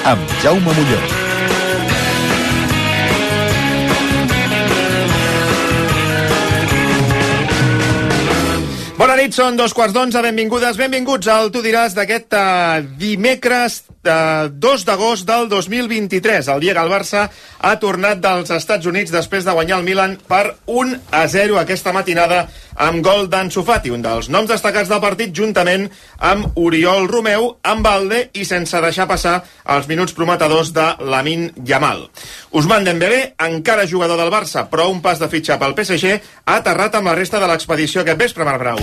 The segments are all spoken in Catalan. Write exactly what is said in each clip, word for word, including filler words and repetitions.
amb Jaume Molló. Bona nit, són dos quarts d'onze, benvingudes, benvinguts al Tu diràs d'aquest uh, dimecres uh, dos d'agost del dos mil vint-i-tres, el dia que el Barça ha tornat dels Estats Units després de guanyar el Milan per un a zero aquesta matinada amb gol d'Ansu Fati, un dels noms destacats del partit, juntament amb Oriol Romeu, amb Balde i sense deixar passar els minuts prometedors de Lamine Yamal. Ousmane Dembélé, encara jugador del Barça, però un pas de fitxa pel P S G, ha aterrat amb la resta de l'expedició aquest vespre, Marc Brau.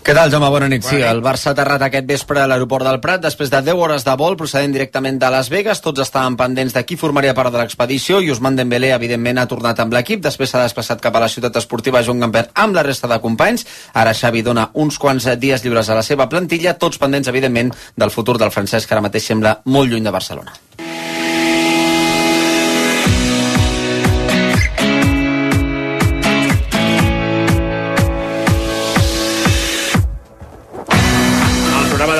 Què tal, Jaume? Bona nit. Sí, el Barça ha aterrat aquest vespre a l'aeroport del Prat després de deu hores de vol procedent directament de Las Vegas. Tots estaven pendents de qui formaria part de l'expedició i Ousmane Dembélé, evidentment, ha tornat amb l'equip. Després s'ha desplaçat cap a la ciutat esportiva Joan Gamper amb la resta de companys. Ara Xavi dona uns quants dies lliures a la seva plantilla, tots pendents, evidentment, del futur del francès, que ara mateix sembla molt lluny de Barcelona.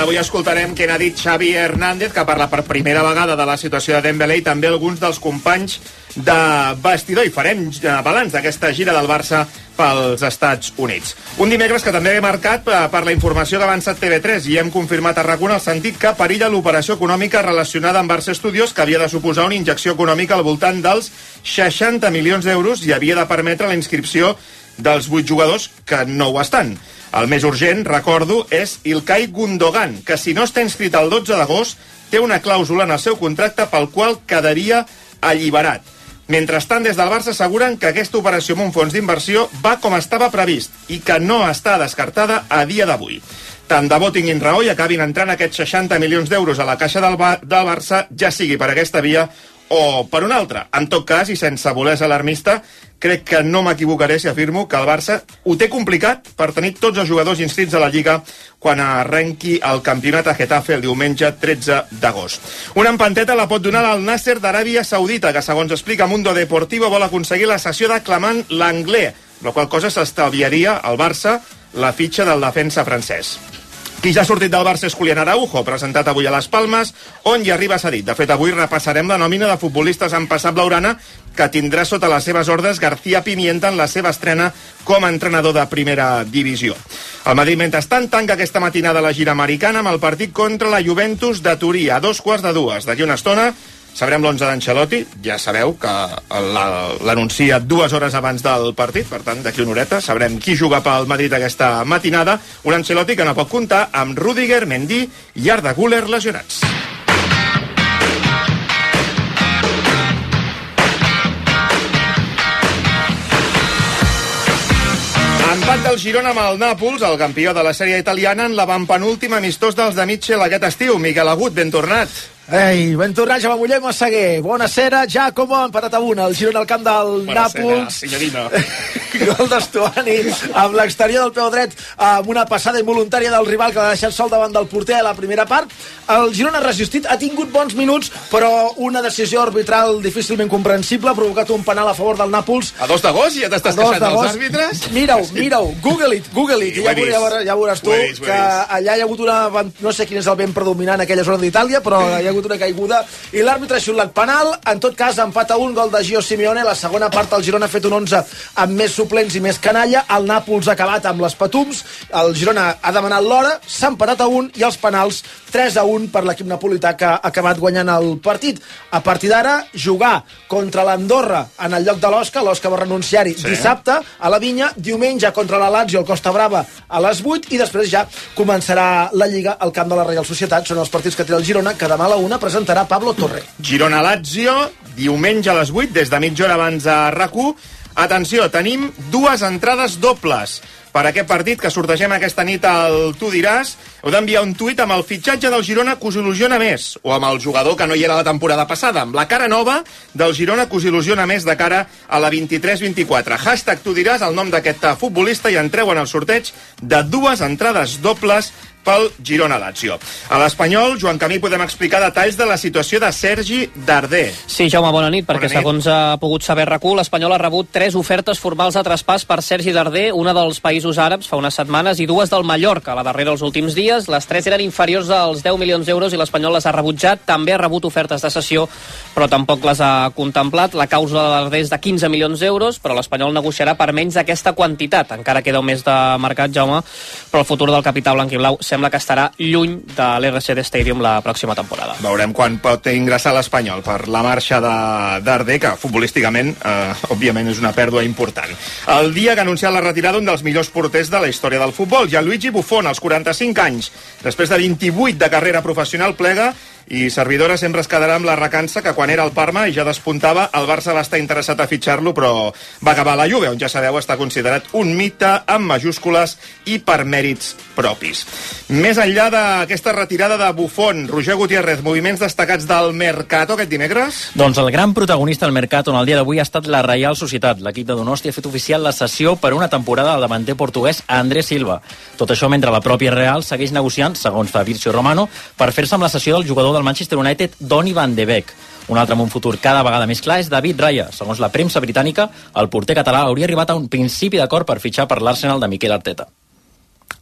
Avui escoltarem què n'ha dit Xavi Hernández, que parla per primera vegada de la situació de Dembélé i també alguns dels companys de vestidor, i farem balanç d'aquesta gira del Barça pels Estats Units. Un dimecres que també ve marcat per la informació que ha avançat T V tres i hem confirmat a RAC1 el sentit que perilla l'operació econòmica relacionada amb Barça Studios, que havia de suposar una injecció econòmica al voltant dels seixanta milions d'euros i havia de permetre la inscripció dels vuit jugadors que no ho estan. El més urgent, recordo, és Ilkay Gundogan, que si no està inscrit el dotze d'agost, té una clàusula en el seu contracte pel qual quedaria alliberat. Mentrestant, des del Barça asseguren que aquesta operació amb un fons d'inversió va com estava previst i que no està descartada a dia d'avui. Tant de bo tinguin raó i acabin entrant aquests seixanta milions d'euros a la caixa del, Ba- del Barça, ja sigui per aquesta via o per una altra. En tot cas, i sense voler ser alarmista, crec que no m'equivocaré si afirmo que el Barça ho té complicat per tenir tots els jugadors inscrits a la Lliga quan arrenqui el campionat a Getafe el diumenge tretze d'agost. Una empanteta la pot donar al Nasser d'Aràbia Saudita, que segons explica Mundo Deportivo vol aconseguir la cessió de Clement Lenglet, la qual cosa s'estalviaria al Barça la fitxa del defensa francès. Qui ja ha sortit del Barça és Julián Araujo, presentat avui a Las Palmes, on hi arriba cedit. De fet, avui repassarem la nòmina de futbolistes en passat blaugrana que tindrà sota les seves ordres García Pimienta en la seva estrena com a entrenador de primera divisió. El Madrid, mentrestant, tanca aquesta matinada la gira americana amb el partit contra la Juventus de Turí a dos quarts de dues. D'aquí una estona sabrem l'onze d'Ancelotti, ja sabeu que l'anuncia dues hores abans del partit, per tant, d'aquí una horeta sabrem qui juga pel Madrid aquesta matinada. Un Ancelotti que no pot comptar amb Rüdiger, Mendy i Arda Güler lesionats. Empat del Girona amb el Nàpols, el campió de la sèrie italiana, en l'avantpenúltim amistós dels de Mitchell aquest estiu. Miquel Agut, ben tornat. Ei, ben tornat, Jaume Molló i Massaguer. Buonasera, Giacomo, empatat a una. El Girona al camp del Nàpols. Signorina. Gol d'Estuani amb l'exterior del peu dret, amb una passada involuntària del rival que l'ha deixat sol davant del porter a la primera part. El Girona ha resistit, ha tingut bons minuts, però una decisió arbitral difícilment comprensible ha provocat un penal a favor del Nàpols. A dos d'agost ja t'estàs queixant dels àrbitres? Mira-ho, mira-ho, google it, google it, sí, ja, veuràs, ja, veuràs, ja veuràs tu vist, que allà hi ha hagut una... No sé quin és el vent predominant en aquella zona d'Itàlia, però hi ha hagut una caiguda i l'àrbitre ha xiulat penal. En tot cas, empat a un, gol de Gio Simeone. La segona part el Girona ha fet un onze amb més suplents i més canalla. El Nàpols ha acabat amb les patums. El Girona ha demanat l'hora, s'ha empatat a un i els penals tres a un per l'equip napolità, que ha acabat guanyant el partit. A partir d'ara, jugar contra l'Andorra en el lloc de l'Osca. L'Osca va renunciar-hi sí. dissabte a la Vinya, diumenge contra la Lazio al Costa Brava a les vuit i després ja començarà la Lliga al camp de la Reial Societat. Són els partits que té el Girona, que demà a la una presentarà Pablo Torre. Girona-Lazio, diumenge a les vuit, des de mitja hora abans a RAC u. Atenció, tenim dues entrades dobles per aquest partit que sortegem aquesta nit al Tu diràs. Heu d'enviar un tuit amb el fitxatge del Girona que us il·lusiona més, o amb el jugador que no hi era la temporada passada, amb la cara nova del Girona que us il·lusiona més de cara a la vint-i-tres vint-i-quatre. Hashtag Tu diràs el nom d'aquest futbolista i entreu en el sorteig de dues entrades dobles pel Girona-Lazio. A l'Espanyol, Joan Camí, podem explicar detalls de la situació de Sergi Darder. Sí, Jaume, bona nit, perquè bona nit. segons ha pogut saber RAC u, l'Espanyol ha rebut tres ofertes formals de traspàs per Sergi Darder, una dels països àrabs fa unes setmanes i dues del Mallorca, la darrera els últims dies. Les tres eren inferiors als deu milions d'euros i l'Espanyol les ha rebutjat. També ha rebut ofertes de cessió, però tampoc les ha contemplat. La causa de Darder és de quinze milions d'euros, però l'Espanyol negociarà per menys d'aquesta quantitat. Encara queda un mes de mercat, Jaume, però el futur del capità blanc i blau sembla que estarà lluny de l'R C D Stadium la pròxima temporada. Veurem quan pot ingressar l'Espanyol per la marxa de Darder, que futbolísticament, eh, òbviament, és una pèrdua important. El dia que ha anunciat la retirada un dels millors porters de la història del futbol, Gianluigi Buffon, als quaranta-cinc anys, després de vint-i-vuit de carrera professional, plega, i servidora sempre es quedarà amb la recança que quan era al Parma i ja despuntava, el Barça va estar interessat a fitxar-lo, però va acabar a la Juve, on ja sabeu està considerat un mite amb majúscules i per mèrits propis. Més enllà d'aquesta retirada de Buffon, Roger Gutiérrez, moviments destacats del Mercato aquest dimecres? Doncs el gran protagonista del Mercato en el dia d'avui ha estat la Reial Societat. L'equip de Donosti ha fet oficial la cessió per una temporada al davanter portuguès André Silva. Tot això mentre la pròpia Real segueix negociant, segons Fabrizio Romano, per fer-se amb la cessió del jugador del Manchester United, Donny van de Beek. Un altre amb un futur cada vegada més clar és David Raya. Segons la premsa britànica, el porter català hauria arribat a un principi d'acord per fitxar per l'Arsenal de Mikel Arteta.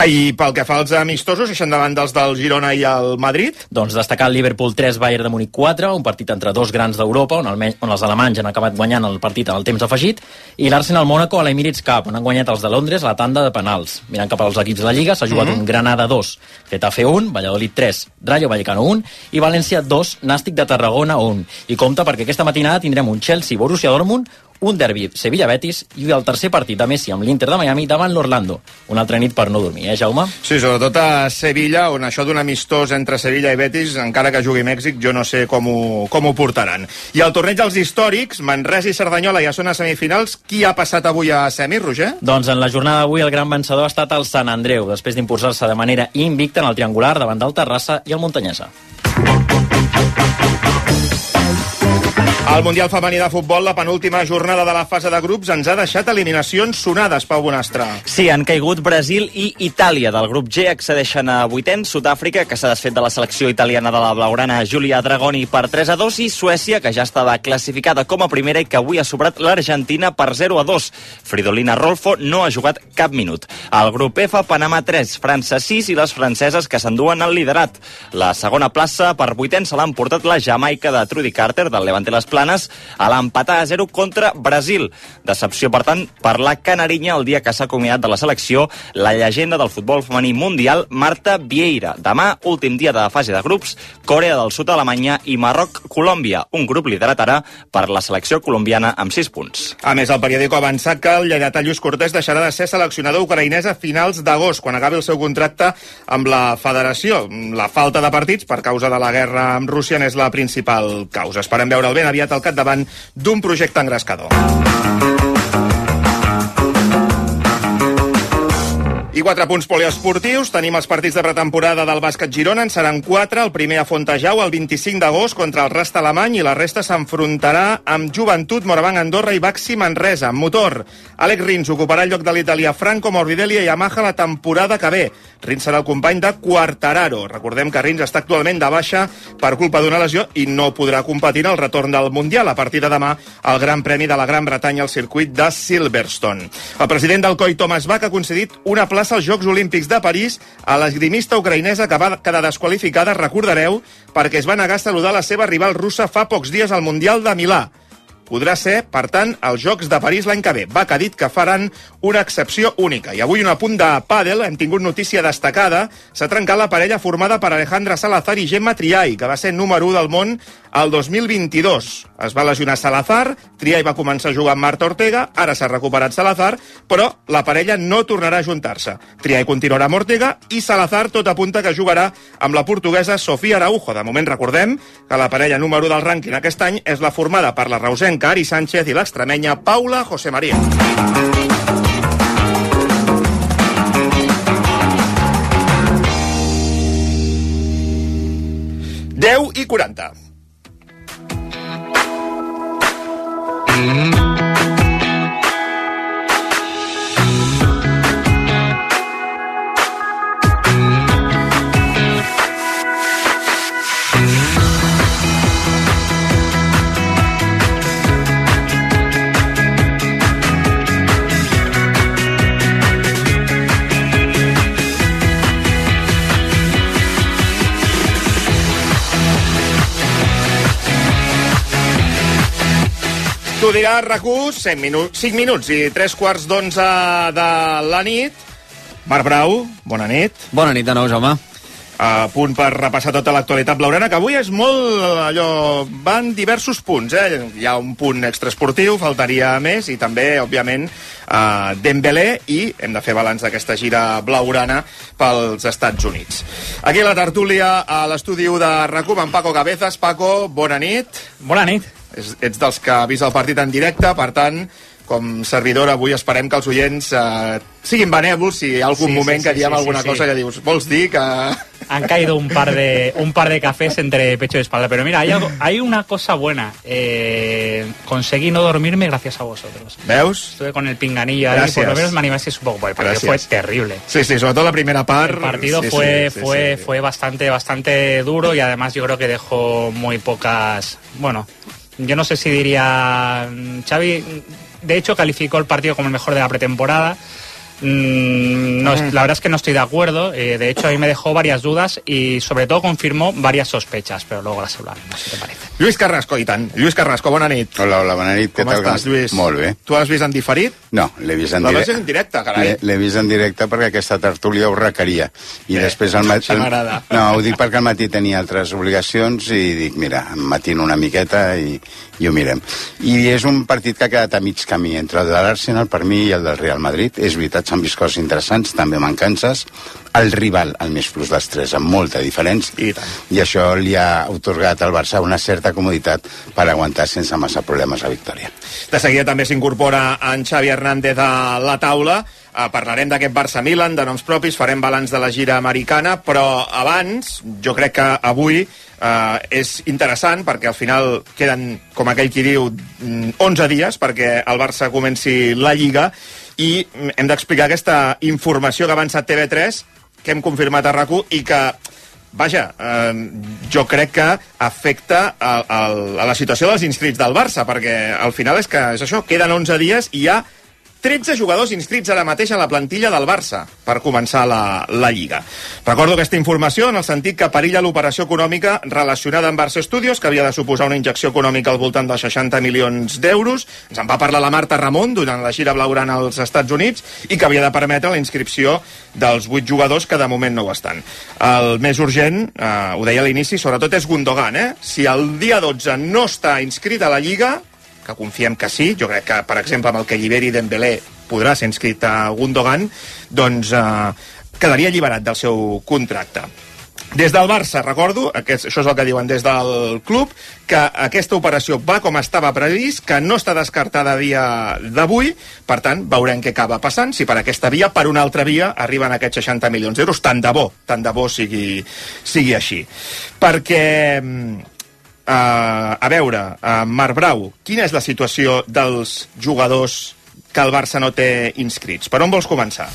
I pel que fa als amistosos, eixen davant dels del Girona i el Madrid? Doncs destacar el Liverpool tres, Bayern de Múnich quatre, un partit entre dos grans d'Europa, on, el, on els alemanys han acabat guanyant el partit en el temps afegit, i l'Arsenal Mónaco a l'Emirates Cup, on han guanyat els de Londres la tanda de penals. Mirant cap als equips de la Lliga, s'ha jugat mm-hmm. un Granada dos, Getafe un, Valladolid tres, Rayo Vallecano un, i València dos, Nàstic de Tarragona un. I compte perquè aquesta matinada tindrem un Chelsea-Borussia Dortmund, un derbi Sevilla-Betis i el tercer partit de Messi amb l'Inter de Miami davant l'Orlando. Una altra nit per no dormir, eh, Jaume? Sí, sobretot a Sevilla, on això d'un amistós entre Sevilla i Betis, encara que jugui Mèxic, jo no sé com ho, com ho portaran. I al torneig dels històrics, Manresa i Cerdanyola ja són a semifinals. Qui ha passat avui a semis, Roger? Doncs en la jornada d'avui el gran vencedor ha estat el Sant Andreu, després d'imposar-se de manera invicta en el triangular davant del Terrassa i el Montanyesa. Al Mundial Femení de Futbol, la penúltima jornada de la fase de grups ens ha deixat eliminacions sonades, Pau Bonastre. Sí, han caigut Brasil i Itàlia. Del grup G accedeixen a vuitens, Sud-àfrica, que s'ha desfet de la selecció italiana de la blaugrana Giulia Dragoni per tres a dos, i Suècia, que ja estava classificada com a primera i que avui ha sobrat l'Argentina per zero a dos. Fridolina Rolfo no ha jugat cap minut. Al grup F, Panamà tres, França sis i les franceses que s'enduen el liderat. La segona plaça per vuitens se l'ha emportat la Jamaica de Trudy Carter, del Levante Les Planes, a l'empatar a zero contra Brasil. Decepció, per tant, per la canarinya el dia que s'ha acomiadat de la selecció la llegenda del futbol femení mundial, Marta Vieira. Demà, últim dia de fase de grups, Corea del Sud, Alemanya i Marroc-Colòmbia. Un grup liderat ara per la selecció colombiana amb sis punts. A més, el periòdico ha avançat que el lleidatà Lluís Cortés deixarà de ser seleccionador ucraïnès a finals d'agost, quan acabi el seu contracte amb la federació. La falta de partits per causa de la guerra amb Rússia n'és la principal causa. Esperem veure'l ben aviat al capdavant d'un projecte engrescador. I quatre punts poliesportius. Tenim els partits de pretemporada del bàsquet Girona. En seran quatre. El primer a Fontejau el vint-i-cinc d'agost contra el Rasta Alemany i la resta s'enfrontarà amb Joventut, Morabanc Andorra i Baxi Manresa. Amb motor, Àlex Rins ocuparà el lloc de l'italià Franco Morbidelli i Yamaha la temporada que ve. Rins serà el company de Quartararo. Recordem que Rins està actualment de baixa per culpa d'una lesió i no podrà competir en el retorn del Mundial a partir de demà al Gran Premi de la Gran Bretanya al circuit de Silverstone. El president del C O I, Thomas Bach, ha concedit una plaça als Jocs Olímpics de París a l'esgrimista ucraïnesa que va quedar desqualificada, recordareu, perquè es va negar a saludar la seva rival russa fa pocs dies al Mundial de Milà. Podrà ser, per tant, als Jocs de París l'any que ve. Bach ha dit que faran una excepció única. I avui un apunt de pàdel, hem tingut notícia destacada. S'ha trencat la parella formada per Alejandra Salazar i Gemma Triay, que va ser número u del món el dos mil vint-i-dos. Es va lesionar Salazar, Triay va començar a jugar amb Marta Ortega, ara s'ha recuperat Salazar, però la parella no tornarà a juntar-se. Triay continuarà amb Ortega i Salazar tot apunta que jugarà amb la portuguesa Sofía Araujo. De moment recordem que la parella número u del rànquing aquest any és la formada per la reusenca Ari Sánchez i l'extremenya Paula José María. deu i quaranta. T'ho dirà RAC1, cinc minuts i tres quarts d'onze de la nit. Marc Brau, bona nit. Bona nit de nou, Jaume. A punt per repassar tota l'actualitat blaugrana, que avui és molt allò... Van diversos punts, eh? Hi ha un punt extraesportiu, faltaria més, i també, òbviament, uh, Dembélé, i hem de fer balanç d'aquesta gira blaugrana pels Estats Units. Aquí a la tertúlia, a l'estudi de RAC1, amb Paco Cabezas. Paco, bona nit. Bona nit. És, ets dels que ha vist el partit en directe, per tant, com servidor, avui esperem que els oients eh, siguin benèvols, si hi ha algun sí, moment sí, que diem sí, alguna sí, cosa sí. que dius, vols dir que... Han caído un par de un par de cafés entre pecho y espalda, pero mira, hay, algo, hay una cosa buena. Eh, conseguí no dormirme gracias a vosotros. ¿Veus? Estuve con el pinganillo ahí, por lo menos me animasteis un poco, porque el partido fue terrible. Sí, sí, sobre todo la primera parte. El partido sí, fue, sí, sí, fue, sí, sí. fue bastante, bastante duro, y además yo creo que dejó muy pocas... Bueno, yo no sé si diría... Xavi... De hecho, calificó el partido como el mejor de la pretemporada. Mm, no, la verdad es que no estoy de acuerdo. Eh, de hecho, a mí me dejó varias dudas y, sobre todo, confirmó varias sospechas, pero luego las hablaremos, si te parece. Lluís Carrasco, i tant. Lluís Carrasco, bona nit. Hola, hola, bona nit. Com estàs, Lluís? Molt bé. Tu l'has vist en diferit? No, l'he vist en directe. directe. L'has vist en directe, carai. L'he vist en directe perquè aquesta tertúlia ho requeria. I bé, després al matí... Això m'agrada. No, ho dic perquè al matí tenia altres obligacions i dic, mira, em matino una miqueta i, i ho mirem. I és un partit que ha quedat a mig camí entre el de l'Arsenal, per mi, i el del Real Madrid. És veritat, s'han vist coses interessants, també mancances. El rival, el més plus dels tres, amb molta diferència. I tant. I això li ha otorgat al Barça una certa comoditat per aguantar sense massa problemes la victòria. De seguida també s'incorpora en Xavi Hernández a la taula. Uh, parlarem d'aquest Barça-Milan, de noms propis, farem balanç de la gira americana, però abans, jo crec que avui uh, és interessant, perquè al final queden, com aquell qui diu, onze dies perquè el Barça comenci la Lliga, i hem d'explicar aquesta informació que ha avançat T V tres, que hem confirmat a RAC1, i que, vaja, eh, jo crec que afecta a, a, a la situació dels inscrits del Barça, perquè al final és que és això, queden onze dies i hi ha tretze jugadors inscrits ara mateix a la plantilla del Barça per començar la, la Lliga. Recordo aquesta informació en el sentit que perilla l'operació econòmica relacionada amb Barça Studios, que havia de suposar una injecció econòmica al voltant dels seixanta milions d'euros. Ens en va parlar la Marta Ramon durant la gira blaugrana als Estats Units, i que havia de permetre la inscripció dels vuit jugadors que de moment no ho estan. El més urgent, eh, ho deia a l'inici, sobretot és Gundogan. Eh? Si el dia dotze no està inscrit a la Lliga, que confiem que sí, jo crec que, per exemple, amb el que alliberi Dembélé podrà ser inscrit a Gundogan, doncs eh, quedaria alliberat del seu contracte. Des del Barça, recordo, aquest, això és el que diuen des del club, que aquesta operació va com estava previst, que no està descartada a dia d'avui, per tant, veurem què acaba passant, si per aquesta via, per una altra via, arriben aquests seixanta milions d'euros, tant de bo, tant de bo sigui, sigui així. Perquè... Uh, a veure, uh, Marc Brau, quina és la situació dels jugadors que el Barça no té inscrits? Per on vols començar?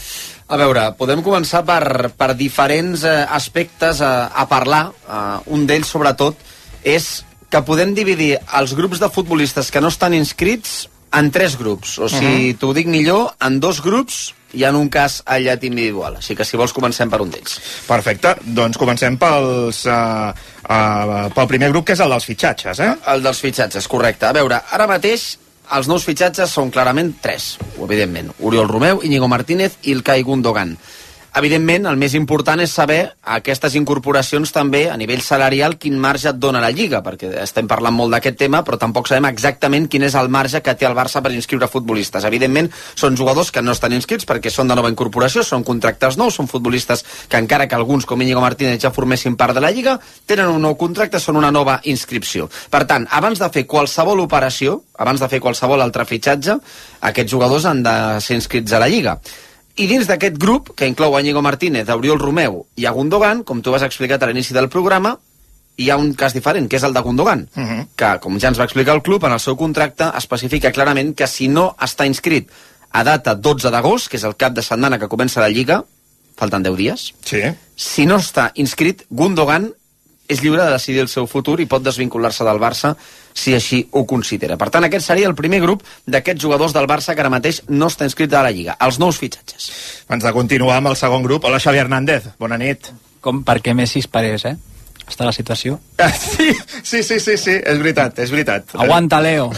A veure, podem començar per, per diferents eh, aspectes a, a parlar. Uh, un d'ells, sobretot, és que podem dividir els grups de futbolistes que no estan inscrits en tres grups. O sigui, uh-huh. t'ho dic millor, en dos grups i en un cas aïllat individual. Així que, si vols, comencem per un d'ells. Perfecte. Doncs comencem pels, uh, uh, pel primer grup, que és el dels fitxatges, eh? El dels fitxatges, correcte. A veure, ara mateix els nous fitxatges són clarament tres, evidentment. Oriol Romeu, Íñigo Martínez i Ilkay Gundogan. Evidentment, el més important és saber aquestes incorporacions també a nivell salarial quin marge et dona la Lliga, perquè estem parlant molt d'aquest tema, però tampoc sabem exactament quin és el marge que té el Barça per inscriure futbolistes. Evidentment, són jugadors que no estan inscrits perquè són de nova incorporació, són contractes nous, són futbolistes que, encara que alguns, com Íñigo Martínez, ja formessin part de la Lliga, tenen un nou contracte, són una nova inscripció. Per tant, abans de fer qualsevol operació, abans de fer qualsevol altre fitxatge, aquests jugadors han de ser inscrits a la Lliga. I dins d'aquest grup, que inclou a Íñigo Martínez, a Oriol Romeu i a Gundogan, com tu has explicat a l'inici del programa, hi ha un cas diferent, que és el de Gundogan, uh-huh. que, com ja ens va explicar el club, en el seu contracte especifica clarament que si no està inscrit a data dotze d'agost, que és el cap de setmana que comença la Lliga, falten deu dies, sí. Si no està inscrit, Gundogan és lliure de decidir el seu futur i pot desvincular-se del Barça si així ho considera. Per tant, aquest seria el primer grup d'aquests jugadors del Barça que ara mateix no està inscrit a la Lliga, els nous fitxatges. Abans de continuar amb el segon grup, hola Xavi Hernández, bona nit. Com perquè Messi es parés, eh? Està la situació. Sí, sí, sí, sí, sí, és veritat, és veritat. Aguanta, Leo.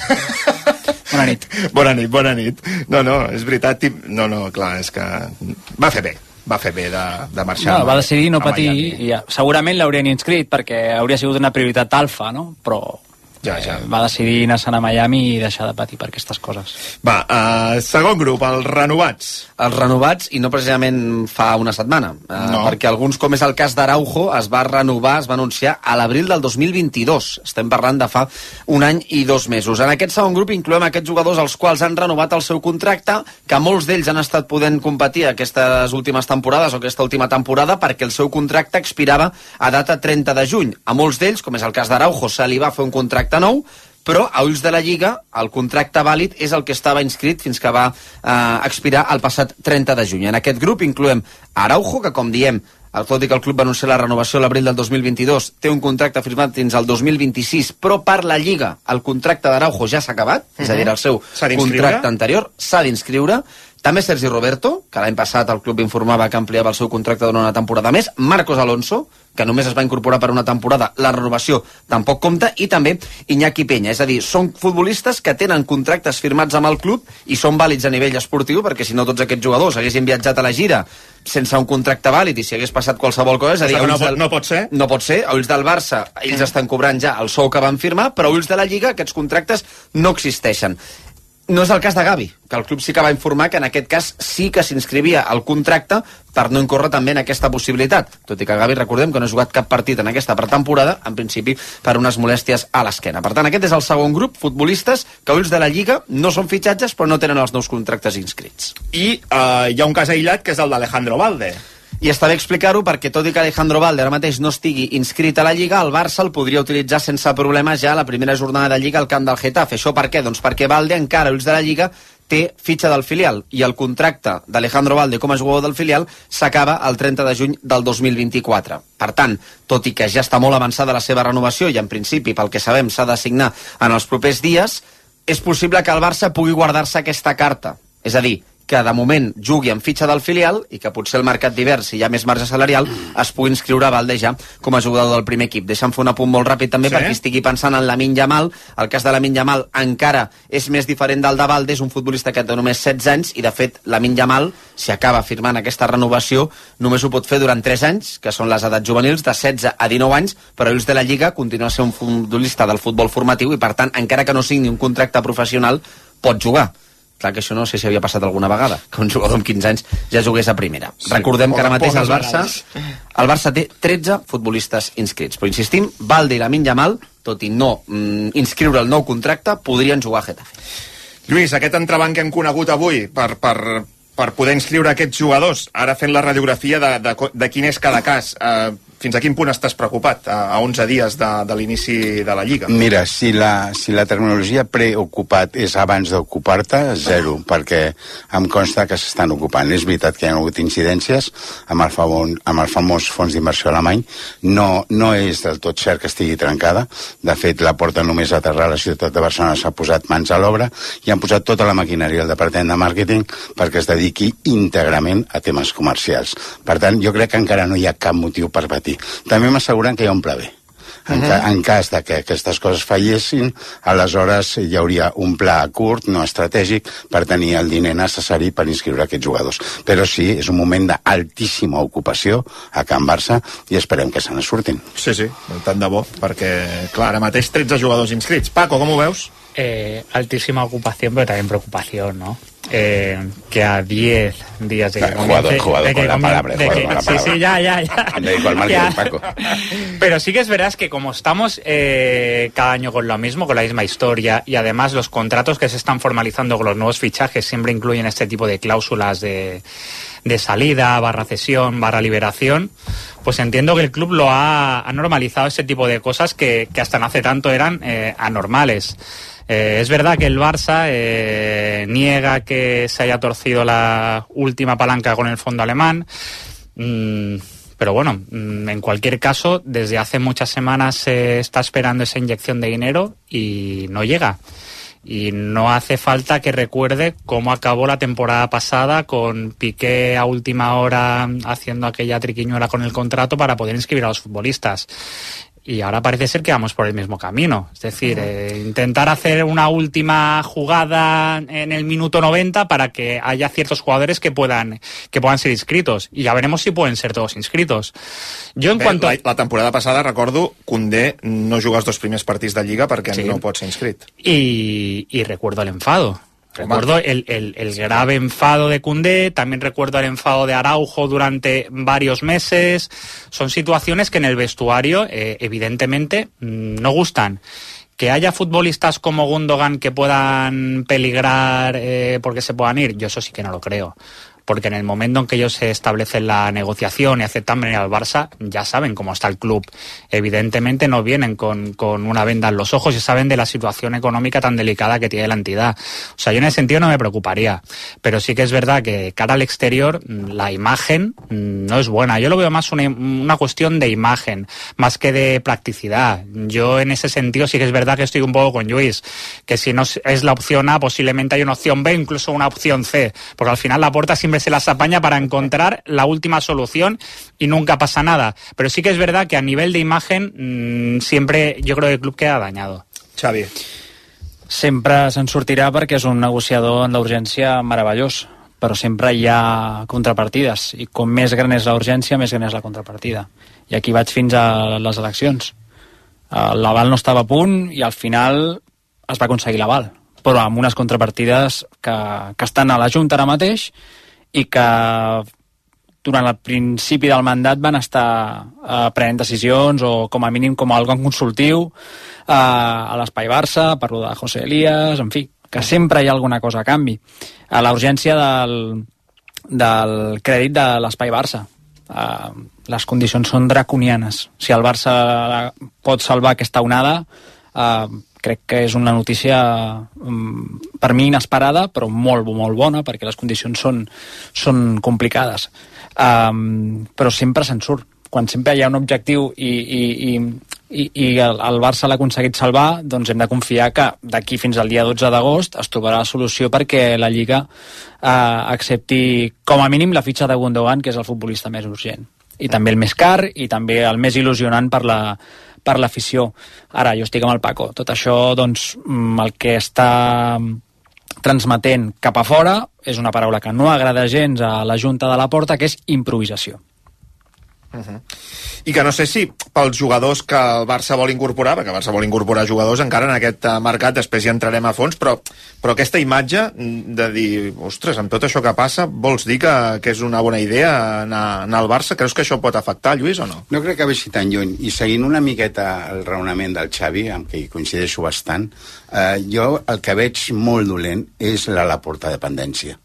Bona nit. Bona nit, bona nit. No, no, és veritat. No, no, clar, és que va fer bé. Va fer bé de, de marxar. No, va decidir no patir Miami. i ja, segurament l'haurien inscrit perquè hauria sigut una prioritat alfa, no? Però ja, ja. Eh, va decidir anar-se'n a Miami i deixar de patir per aquestes coses. Va, uh, segon grup, els renovats. Els renovats, i no precisament fa una setmana, uh, no. perquè alguns, com és el cas d'Araujo, es va renovar, es va anunciar a l'abril del dos mil vint-i-dos. Estem parlant de fa un any i dos mesos. En aquest segon grup incloem aquests jugadors als quals han renovat el seu contracte, que molts d'ells han estat podent competir aquestes últimes temporades o aquesta última temporada perquè el seu contracte expirava a data trenta de juny. A molts d'ells, com és el cas d'Araujo, se li va fer un contracte nou, però a ulls de la Lliga el contracte vàlid és el que estava inscrit fins que va eh, expirar el passat trenta de juny. En aquest grup incloem Araujo, que com diem, tot i que el club va anunciar la renovació a l'abril del dos mil vint-i-dos, té un contracte firmat fins al dos mil vint-i-sis, però per la Lliga el contracte d'Araujo ja s'ha acabat, uh-huh. és a dir, el seu contracte anterior s'ha d'inscriure. També Sergi Roberto, que l'any passat el club informava que ampliava el seu contracte durant una temporada més, Marcos Alonso, que només es va incorporar per una temporada, la renovació tampoc compta, i també Iñaki Peña. És a dir, són futbolistes que tenen contractes firmats amb el club i són vàlids a nivell esportiu, perquè si no tots aquests jugadors haguessin viatjat a la gira sense un contracte vàlid i si hagués passat qualsevol cosa, és a dir, no, del... no pot ser. No pot ser. A ulls del Barça, ells estan cobrant ja el sou que van firmar, però a ulls de la Lliga aquests contractes no existeixen. No és el cas de Gavi, que el club sí que va informar que en aquest cas sí que s'inscrivia al contracte per no incórrer també en aquesta possibilitat. Tot i que Gavi, recordem que no ha jugat cap partit en aquesta pretemporada, en principi per unes molèsties a l'esquena. Per tant, aquest és el segon grup, futbolistes que a ulls de la Lliga no són fitxatges però no tenen els nous contractes inscrits. I uh, hi ha un cas aïllat que és el d'Alejandro Valde. I està bé explicar-ho perquè tot i que Alejandro Valde ara mateix no estigui inscrit a la Lliga, el Barça el podria utilitzar sense problemes ja a la primera jornada de Lliga al camp del Getafe. Això per què? Doncs perquè Valde encara, ulls de la Lliga, té fitxa del filial i el contracte d'Alejandro Valde com a jugador del filial s'acaba el trenta de juny del dos mil vint-i-quatre. Per tant, tot i que ja està molt avançada la seva renovació i en principi, pel que sabem, s'ha de signar en els propers dies, és possible que el Barça pugui guardar-se aquesta carta. És a dir, que de moment jugui amb fitxa del filial i que potser el mercat d'hivern, si hi ha més marge salarial, es pugui inscriure a Valde ja com a jugador del primer equip. Deixa'm fer un apunt molt ràpid també, sí? Perquè estigui pensant en Lamine Yamal. El cas de Lamine Yamal encara és més diferent del de Valde, és un futbolista que té només setze anys i de fet Lamine Yamal, si acaba firmant aquesta renovació, només ho pot fer durant tres anys, que són les edats juvenils, de setze a dinou anys, però ells de la Lliga continua sent un futbolista del futbol formatiu i per tant, encara que no signi un contracte professional, pot jugar. Clar que això no sé si havia passat alguna vegada, que un jugador amb quinze anys ja jugués a primera. Sí, recordem que ara mateix el Barça, el Barça té tretze futbolistes inscrits. Però insistim, Valde i Lamine Yamal, tot i no mm, inscriure el nou contracte, podrien jugar a Getafe. Lluís, aquest entrebanc que hem conegut avui per, per, per poder inscriure aquests jugadors, ara fent la radiografia de, de, de quin és cada cas, eh, fins a quin punt estàs preocupat a, a onze dies de, de l'inici de la Lliga? Mira, si la, si la terminologia preocupat és abans d'ocupar-te, zero, perquè em consta que s'estan ocupant. És veritat que hi ha hagut incidències amb el, favor, amb el famós fons d'inversió alemany. No, no és del tot cert que estigui trencada. De fet, la porta només a aterrar a la ciutat de Barcelona s'ha posat mans a l'obra i han posat tota la maquinària al departament de màrqueting perquè es dediqui íntegrament a temes comercials. Per tant, jo crec que encara no hi ha cap motiu per patir. També m'asseguren que hi ha un pla B. En, ca, en cas de que aquestes coses fallessin, aleshores hi hauria un pla a curt, no estratègic, per tenir el diner necessari per inscriure aquests jugadors. Però sí, és un moment d'altíssima ocupació a Can Barça i esperem que se ne surtin. Sí, sí, tant de bo, perquè, clar, ara mateix tretze jugadors inscrits. Paco, com ho veus? Eh, altísima ocupación, pero también preocupación, ¿no? Eh, que a diez días de que comience... Jugador, jugador con la palabra, de jugador que, con la sí, palabra. sí, ya, ya, ya. Me dedico al marketing, Paco. Pero sí que es verdad que como estamos eh, cada año con lo mismo, con la misma historia, y además los contratos que se están formalizando con los nuevos fichajes siempre incluyen este tipo de cláusulas de, de salida, barra cesión, barra liberación, pues entiendo que el club lo ha, ha normalizado ese tipo de cosas que, que hasta no hace tanto eran eh, anormales. Eh, es verdad que el Barça eh, niega que se haya torcido la última palanca con el fondo alemán, mmm, pero bueno, mmm, en cualquier caso, desde hace muchas semanas se está esperando esa inyección de dinero y no llega. Y no hace falta que recuerde cómo acabó la temporada pasada con Piqué a última hora haciendo aquella triquiñuela con el contrato para poder inscribir a los futbolistas. y ahora parece ser que vamos por el mismo camino. Es decir, eh, intentar hacer una última jugada en el minuto noventa para que haya ciertos jugadores que puedan que puedan ser inscritos. Y ya veremos si pueden ser todos inscritos. Jo en Bé, cuanto... la, la temporada passada, recordo, Koundé no juga els dos primers partits de Lliga perquè sí. no pot ser inscrit. Y, y recuerdo el enfado. Recuerdo el, el, el grave enfado de Koundé, también recuerdo el enfado de Araujo durante varios meses. Son situaciones que en el vestuario, eh, evidentemente, no gustan. Que haya futbolistas como Gundogan que puedan peligrar eh, porque se puedan ir, yo eso sí que no lo creo. Porque en el momento en que ellos se establecen la negociación y aceptan venir al Barça, ya saben cómo está el club. Evidentemente no vienen con, con una venda en los ojos y saben de la situación económica tan delicada que tiene la entidad. O sea, yo en ese sentido no me preocuparía. Pero sí que es verdad que cara al exterior, la imagen no es buena. Yo lo veo más una, una cuestión de imagen, más que de practicidad. Yo en ese sentido sí que es verdad que estoy un poco con Lluís, que si no es la opción A, posiblemente hay una opción B, incluso una opción C. Porque al final la Porta siempre se las apaña para encontrar la última solución y nunca pasa nada. Pero sí que es verdad que a nivel de imagen mmm, siempre yo creo que el club queda dañado. Xavi. Sempre se'n sortirà perquè és un negociador en la urgència meravellós, però sempre hi ha contrapartides i com més gran és la urgència, més gran és la contrapartida. I aquí vaig fins a les eleccions. L'aval no estava a punt i al final es va aconseguir l'aval, però amb unes contrapartides que, que estan a la Junta ara mateix i que durant el principi del mandat van estar eh, prenent decisions o com a mínim com a algun consultiu eh, a l'Espai Barça, parlo de José Elías, en fi, que sempre hi ha alguna cosa a canvi. A la urgència del, del crèdit de l'Espai Barça. Eh, les condicions són draconianes. Si el Barça pot salvar aquesta onada, eh, crec que és una notícia per mi inesperada, però molt, molt bona, perquè les condicions són, són complicades. Um, però sempre se'n surt. Quan sempre hi ha un objectiu i, i, i, i el, el Barça l'ha aconseguit salvar, doncs hem de confiar que d'aquí fins al dia dotze d'agost es trobarà la solució perquè la Lliga uh, accepti com a mínim la fitxa de Gundogan, que és el futbolista més urgent. I també el més car i també el més il·lusionant per la per l'afició. Ara, jo estic amb el Paco. Tot això, doncs, el que està transmetent cap a fora és una paraula que no agrada gens a la Junta de la Porta, que és improvisació. Uh-huh. I que no sé si pels jugadors que el Barça vol incorporar, perquè el Barça vol incorporar jugadors encara en aquest mercat, després hi entrarem a fons, però, però aquesta imatge de dir, ostres, amb tot això que passa, vols dir que, que és una bona idea anar, anar al Barça? Creus que això pot afectar, Lluís, o no? No crec que vagi tan lluny, i seguint una miqueta el raonament del Xavi, amb què hi coincideixo bastant, eh, jo el que veig molt dolent és la Laporta dependència.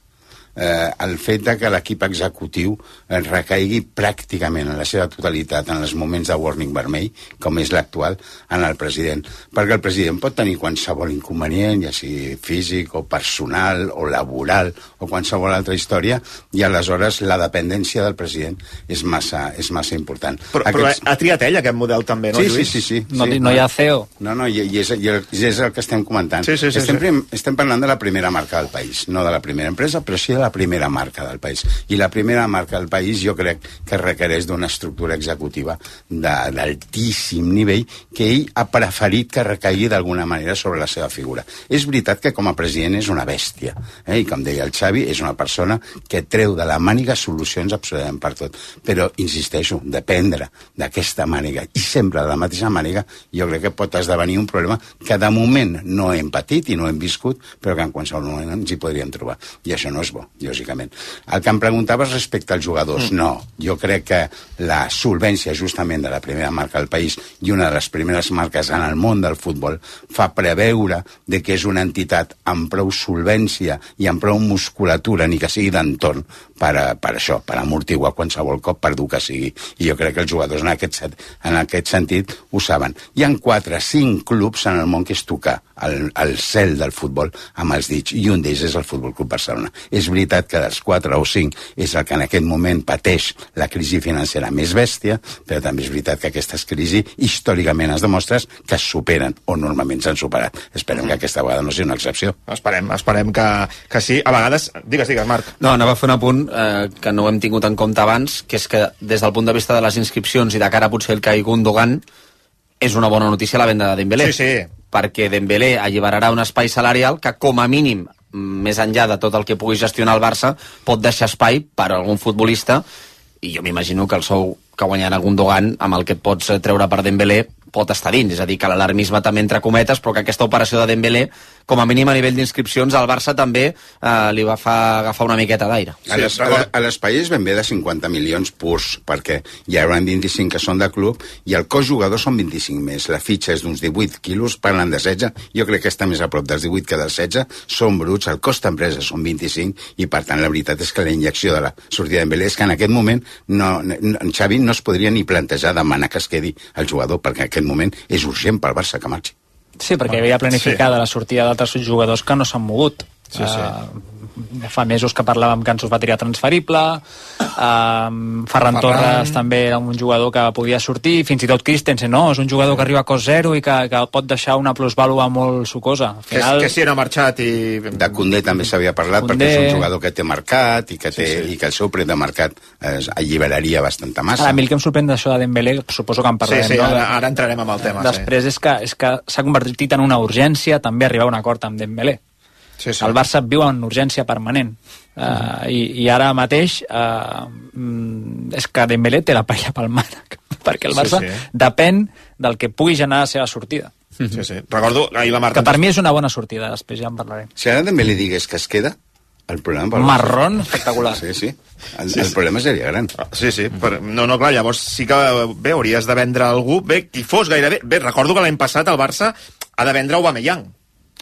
Eh, el fet de que l'equip executiu recaigui pràcticament en la seva totalitat en els moments de warning vermell, com és l'actual, en el president. Perquè el president pot tenir qualsevol inconvenient, ja sigui físic o personal o laboral o qualsevol altra història, i aleshores la dependència del president és massa, és massa important. Però, Aquests... però ha triat ell aquest model també, no, sí, Lluís? Sí, sí, sí. No, sí, no hi ha C E O. No, no, i, i, és, i és el que estem comentant. Sí, sí, sí, estem, sí. estem parlant de la primera marca del país, no de la primera empresa, però sí de la primera marca del país. I la primera marca del país jo crec que requereix d'una estructura executiva d'altíssim nivell que ell ha preferit que recaigui d'alguna manera sobre la seva figura. És veritat que com a president és una bèstia, eh? I com deia el Xavi, és una persona que treu de la màniga solucions absolutament per tot. Però, insisteixo, dependre d'aquesta màniga i sempre de la mateixa màniga, jo crec que pot esdevenir un problema que de moment no hem patit i no hem viscut, però que en qualsevol moment ens hi podríem trobar. I això no és bo, lògicament. El que em preguntaves respecte als jugadors, mm. no. Jo crec que la solvència justament de la primera marca del país i una de les primeres marques en el món del futbol fa preveure de que és una entitat amb prou solvència i amb prou musculatura, ni que sigui d'entorn, per, a, per això, per amortiguar qualsevol cop per dur que sigui. I jo crec que els jugadors en aquest, en aquest sentit ho saben. Hi ha quatre, cinc clubs en el món que és tocar el, el cel del futbol amb els dits, i un d'ells és el Futbol Club Barcelona. És veritat que dels quatre o cinc és el que en aquest moment pateix la crisi financera més bèstia, però també és veritat que aquestes crisis històricament es demostra que es superen, o normalment s'han superat. Esperem que aquesta vegada no sigui una excepció. Esperem, esperem que, que sí. A vegades, digues, digues, Marc. No, anava a fer un apunt eh, que no hem tingut en compte abans, que és que des del punt de vista de les inscripcions i de cara potser el que hi Gundogan, és una bona notícia la venda de Dembélé. Sí, sí. Perquè Dembélé alliberarà un espai salarial que, com a mínim, més enllà de tot el que pugui gestionar el Barça, pot deixar espai per a algun futbolista, i jo m'imagino que el sou que guanyarà Gundogan, amb el que et pots treure per Dembélé, pot estar dins, és a dir, que l'alarmisme també entre cometes, però que aquesta operació de Dembélé, com a mínim a nivell d'inscripcions, al Barça també eh, li va fa, agafar una miqueta d'aire. Sí, a l'espai és ben bé de cinquanta milions purs, perquè hi haurà vint-i-cinc que són de club i el cost jugador són vint-i-cinc més. La fitxa és d'uns divuit quilos, parlen de setze, jo crec que està més a prop dels divuit que dels setze, són bruts, el cost d'empresa són vint-i-cinc i per tant la veritat és que la injecció de la sortida de Dembélé és que en aquest moment no, no, Xavi no es podria ni plantejar demanar que es quedi el jugador, perquè en aquest moment és urgent pel Barça que marxi. Sí, perquè havia planificada sí. la sortida d'altres jugadors que no s'han mogut. Sí, sí. Uh, fa mesos que parlàvem que Ansu Fati era transferible, uh, Ferran, Ferran Torres també era un jugador que podia sortir, fins i tot Christensen, no? És un jugador que arriba a cost zero i que, que pot deixar una plusvàlua molt sucosa. Al final... Que, que si no ha marxat i... De Koundé també s'havia parlat, Koundé... perquè és un jugador que té mercat i que, té, sí, sí. i que el seu preu de mercat es alliberaria bastanta massa. Ara, a mi el que em sorprèn d'això de Dembélé, suposo que en parlarem, sí, sí, no? ara, ara entrarem amb el tema. Després sí. és que és que s'ha convertit en una urgència també arribar a un acord amb Dembélé. Sí, sí. El Barça viu en urgència permanent uh, uh-huh. i, i ara mateix uh, és que Dembélé té la paella pel mànec perquè el Barça sí, sí. depèn del que pugui generar la seva sortida. Sí, sí. Recordo ahir la Marta... Que per mi és una bona sortida, després ja en parlarem. Si ara Dembélé digués que es queda, el problema... Marrón espectacular. Sí, sí. El, sí, sí. el problema seria gran. Sí, sí. Per... No, no, clar, llavors sí que bé, hauries de vendre algú. Bé, qui fos gairebé... Bé, recordo que l'any passat el Barça ha de vendre Aubameyang.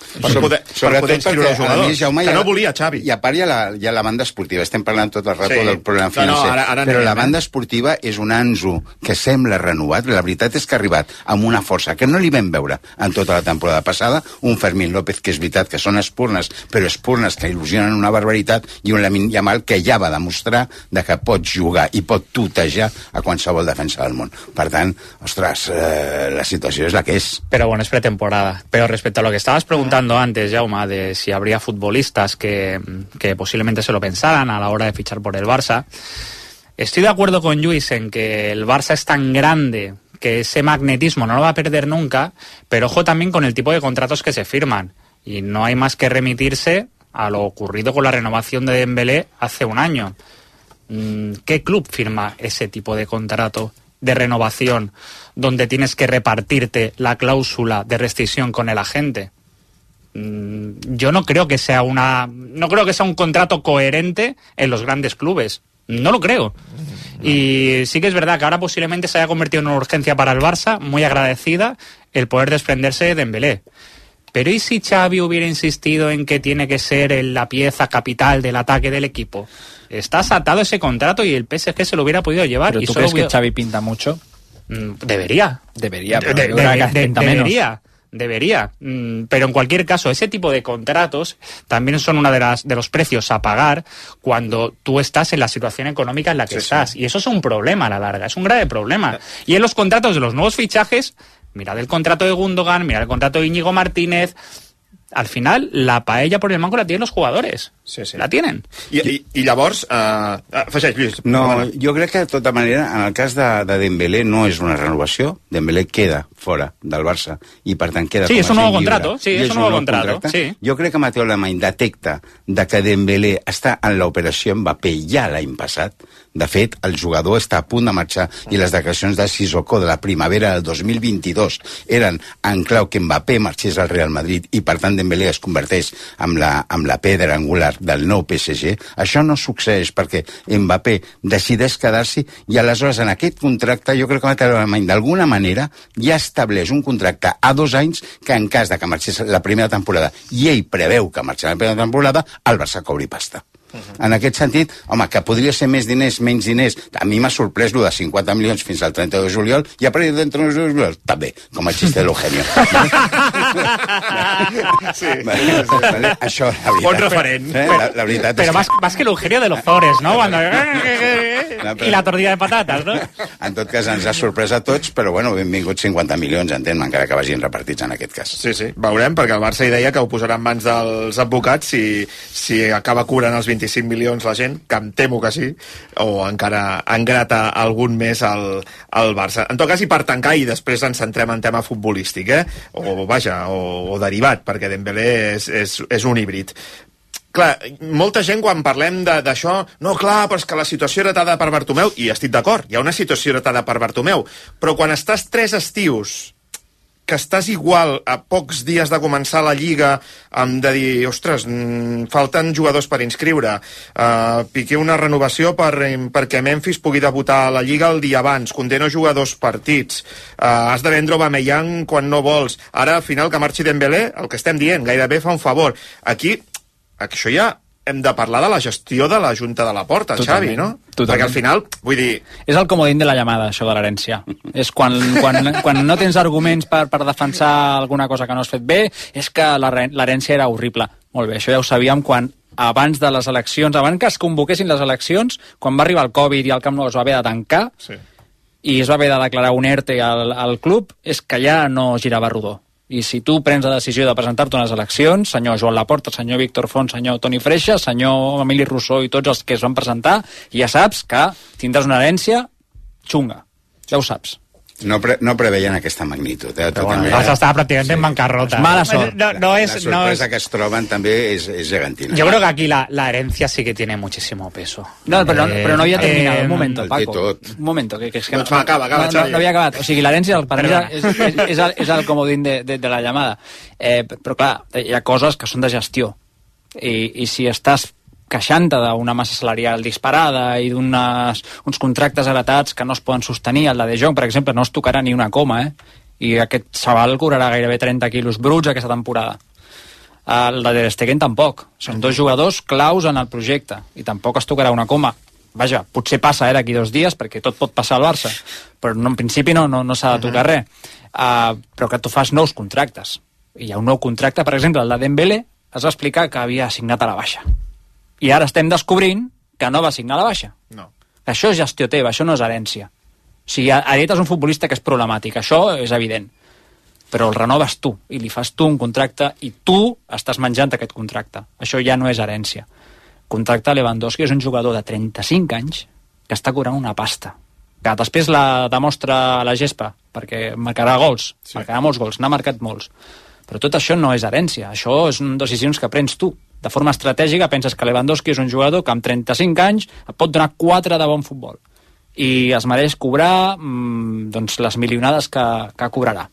Per poder, per poder inscriure els jugadors, Jaume, que no volia Xavi. I a part hi ha, la, hi ha la banda esportiva, estem parlant tot el rato sí. del problema financer, no, no, ara, ara però la banda esportiva és un Ansu que sembla renovat, la veritat és que ha arribat amb una força que no li vam veure en tota la temporada passada, un Fermín López que és veritat que són espurnes, però espurnes que il·lusionen una barbaritat, i un Lamine Yamal que ja va demostrar de que pot jugar i pot tutejar a qualsevol defensa del món. Per tant, ostres, eh, la situació és la que és. Pero bueno, es pretemporada. Pero respecto a lo que estabas preguntando antes, Jaume, de si habría futbolistas que, que posiblemente se lo pensaran a la hora de fichar por el Barça, estoy de acuerdo con Lluís en que el Barça es tan grande que ese magnetismo no lo va a perder nunca, pero ojo también con el tipo de contratos que se firman, y no hay más que remitirse a lo ocurrido con la renovación de Dembélé hace un año. ¿Qué club firma ese tipo de contrato de renovación donde tienes que repartirte la cláusula de rescisión con el agente? Yo no creo que sea una no creo que sea un contrato coherente en los grandes clubes. No lo creo. Y sí que es verdad que ahora posiblemente se haya convertido en una urgencia para el Barça, muy agradecida, el poder desprenderse de Dembélé. Pero ¿y si Xavi hubiera insistido en que tiene que ser la pieza capital del ataque del equipo? Estás atado a ese contrato y el P S G se lo hubiera podido llevar. ¿Pero y tú solo crees hubiera... que Xavi pinta mucho? Debería. Debería, pero de, yo de, creo que de, pinta debería. menos. Debería, pero en cualquier caso ese tipo de contratos también son una de las de los precios a pagar cuando tú estás en la situación económica en la que sí, estás, sí. Y eso es un problema a la larga, es un grave problema. Y en los contratos de los nuevos fichajes, mirad el contrato de Gundogan, mirad el contrato de Íñigo Martínez, al final la paella por el mango la tienen los jugadores. Sí, sí. La tienen. I, i, i llavors... Uh, afegeix, Lluís. No, jo crec que de tota manera, en el cas de, de Dembélé no és una renovació, Dembélé queda fora del Barça i per tant queda sí, com a és un nou lliure. contrato, sí, és un nou contrato, sí. Jo crec que Mateu Alemany detecta de que Dembélé està en l'operació Mbappé ja l'any passat. De fet, el jugador està a punt de marxar i les declaracions de Sissoko de la primavera del dos mil vint-i-dos eren en clau que Mbappé marxés al Real Madrid i per tant Dembélé es converteix en la, en la pedra angular del nou P S G. Això no succeeix perquè Mbappé decideix quedar-s'hi i aleshores en aquest contracte jo crec que Mateu Alemany d'alguna manera ja estableix un contracte a dos anys que en cas de que marxés la primera temporada i ell preveu que marxarà la primera temporada, el Barça cobri pasta. Uh-huh. En aquest sentit, home, que podria ser més diners, menys diners, a mi m'ha sorprès lo de cinquanta milions fins al trenta de juliol i a partir del trenta de juliol també, com el xiste de l'Eugenio. Sí. Vale, vale, això, la veritat. Bon referent. Eh? La, la veritat pero és más, que... más que el Eugenio de los Zores, ¿no? Cuando... no, però... I la tortilla de patates, no? En tot cas, ens ha sorprès a tots, però bueno, benvinguts cinquanta milions, entén, encara que vagin repartits en aquest cas. Sí, sí, veurem, perquè el Barça hi deia que ho posarà en mans dels advocats si, si acaba cobrant els vint vint-i-cinc milions la gent, que em temo que sí, o encara engrata algun més al, al Barça. En tot cas, i per tancar, i després ens centrem en tema futbolístic, eh? o vaja, o, o derivat, perquè Dembélé és, és, és un híbrid. Clar, molta gent quan parlem d'això, no, clar, però és que la situació heretada per Bartomeu, i estic d'acord, hi ha una situació heretada per Bartomeu, però quan estàs tres estius que estàs igual a pocs dies de començar la Lliga, amb de dir, ostres, mm, falten jugadors per inscriure, uh, Piqué una renovació per, perquè Memphis pugui debutar a la Lliga el dia abans, conté no jugar dos partits, uh, has de vendre Aubameyang quan no vols, ara al final que marxi Dembélé, el que estem dient, gairebé fa un favor. Aquí, això ja hem de parlar de la gestió de la Junta de la Porta, Xavi, no? Totalment. Perquè al final, vull dir... És el comodín de la llamada, això de l'herència. És quan, quan, quan no tens arguments per, per defensar alguna cosa que no has fet bé, és que l'herència era horrible. Molt bé, això ja ho sabíem quan abans de les eleccions, abans que es convoquessin les eleccions, quan va arribar el Covid i el Camp Nou es va haver de tancar, sí. i es va haver de declarar un ERTE al, al club, és que ja no girava rodó. I si tu prens la decisió de presentar-te unes eleccions, senyor Joan Laporta, senyor Víctor Font, senyor Toni Freixa, senyor Emili Rousseau i tots els que es van presentar, ja saps que tindràs una herència xunga. Ja ho saps. No, pre no preveien aquesta magnitud. Eh? Bueno, els estava pràcticament sí. en bancarrota. Mala sort. No, no es, la sorpresa no es... que es troben també és, és gegantina. Yo creo que aquí la, la herencia sí que tiene muchísimo peso. No, pero, eh, pero no había terminado. Eh, un momento, Paco. Tot. Un momento. Que, que es que no, va, acaba, acaba, no, no, no havia acabat. O sigui, l'herència per mi és, és, és, el, és el comodín de, de, de la llamada. Eh, però clar, hi ha coses que són de gestió. I, i si estàs queixant-te d'una massa salarial disparada i d'uns contractes heretats que no es poden sostenir. El de De Jong, per exemple, no es tocarà ni una coma, eh? I aquest xaval cobrarà gairebé trenta quilos bruts aquesta temporada. El de Ter Stegen tampoc. Són dos jugadors claus en el projecte i tampoc es tocarà una coma. Vaja, potser passa eh, d'aquí dos dies, perquè tot pot passar al Barça, però no, en principi no, no, no s'ha de tocar res. Uh, però que tu fas nous contractes. I hi ha un nou contracte, per exemple, el de Dembélé, es va explicar que havia signat a la baixa. I ara estem descobrint que no va signar a la baixa. No. Això és gestió teva, això no és herència. O sigui, heretes un futbolista que és problemàtic, això és evident. Però el renoves tu, i li fas tu un contracte, i tu estàs menjant aquest contracte. Això ja no és herència. Contracte Lewandowski és un jugador de trenta-cinc anys que està cobrant una pasta. Que després la demostra a la gespa, perquè marcarà gols, sí. marcarà molts gols, n'ha marcat molts. Però tot això no és herència, això són decisions que prens tu. De forma estratègica penses que Lewandowski és un jugador que amb trenta-cinc anys et pot donar quatre de bon futbol i es mereix cobrar mmm, doncs les milionades que, que cobrarà.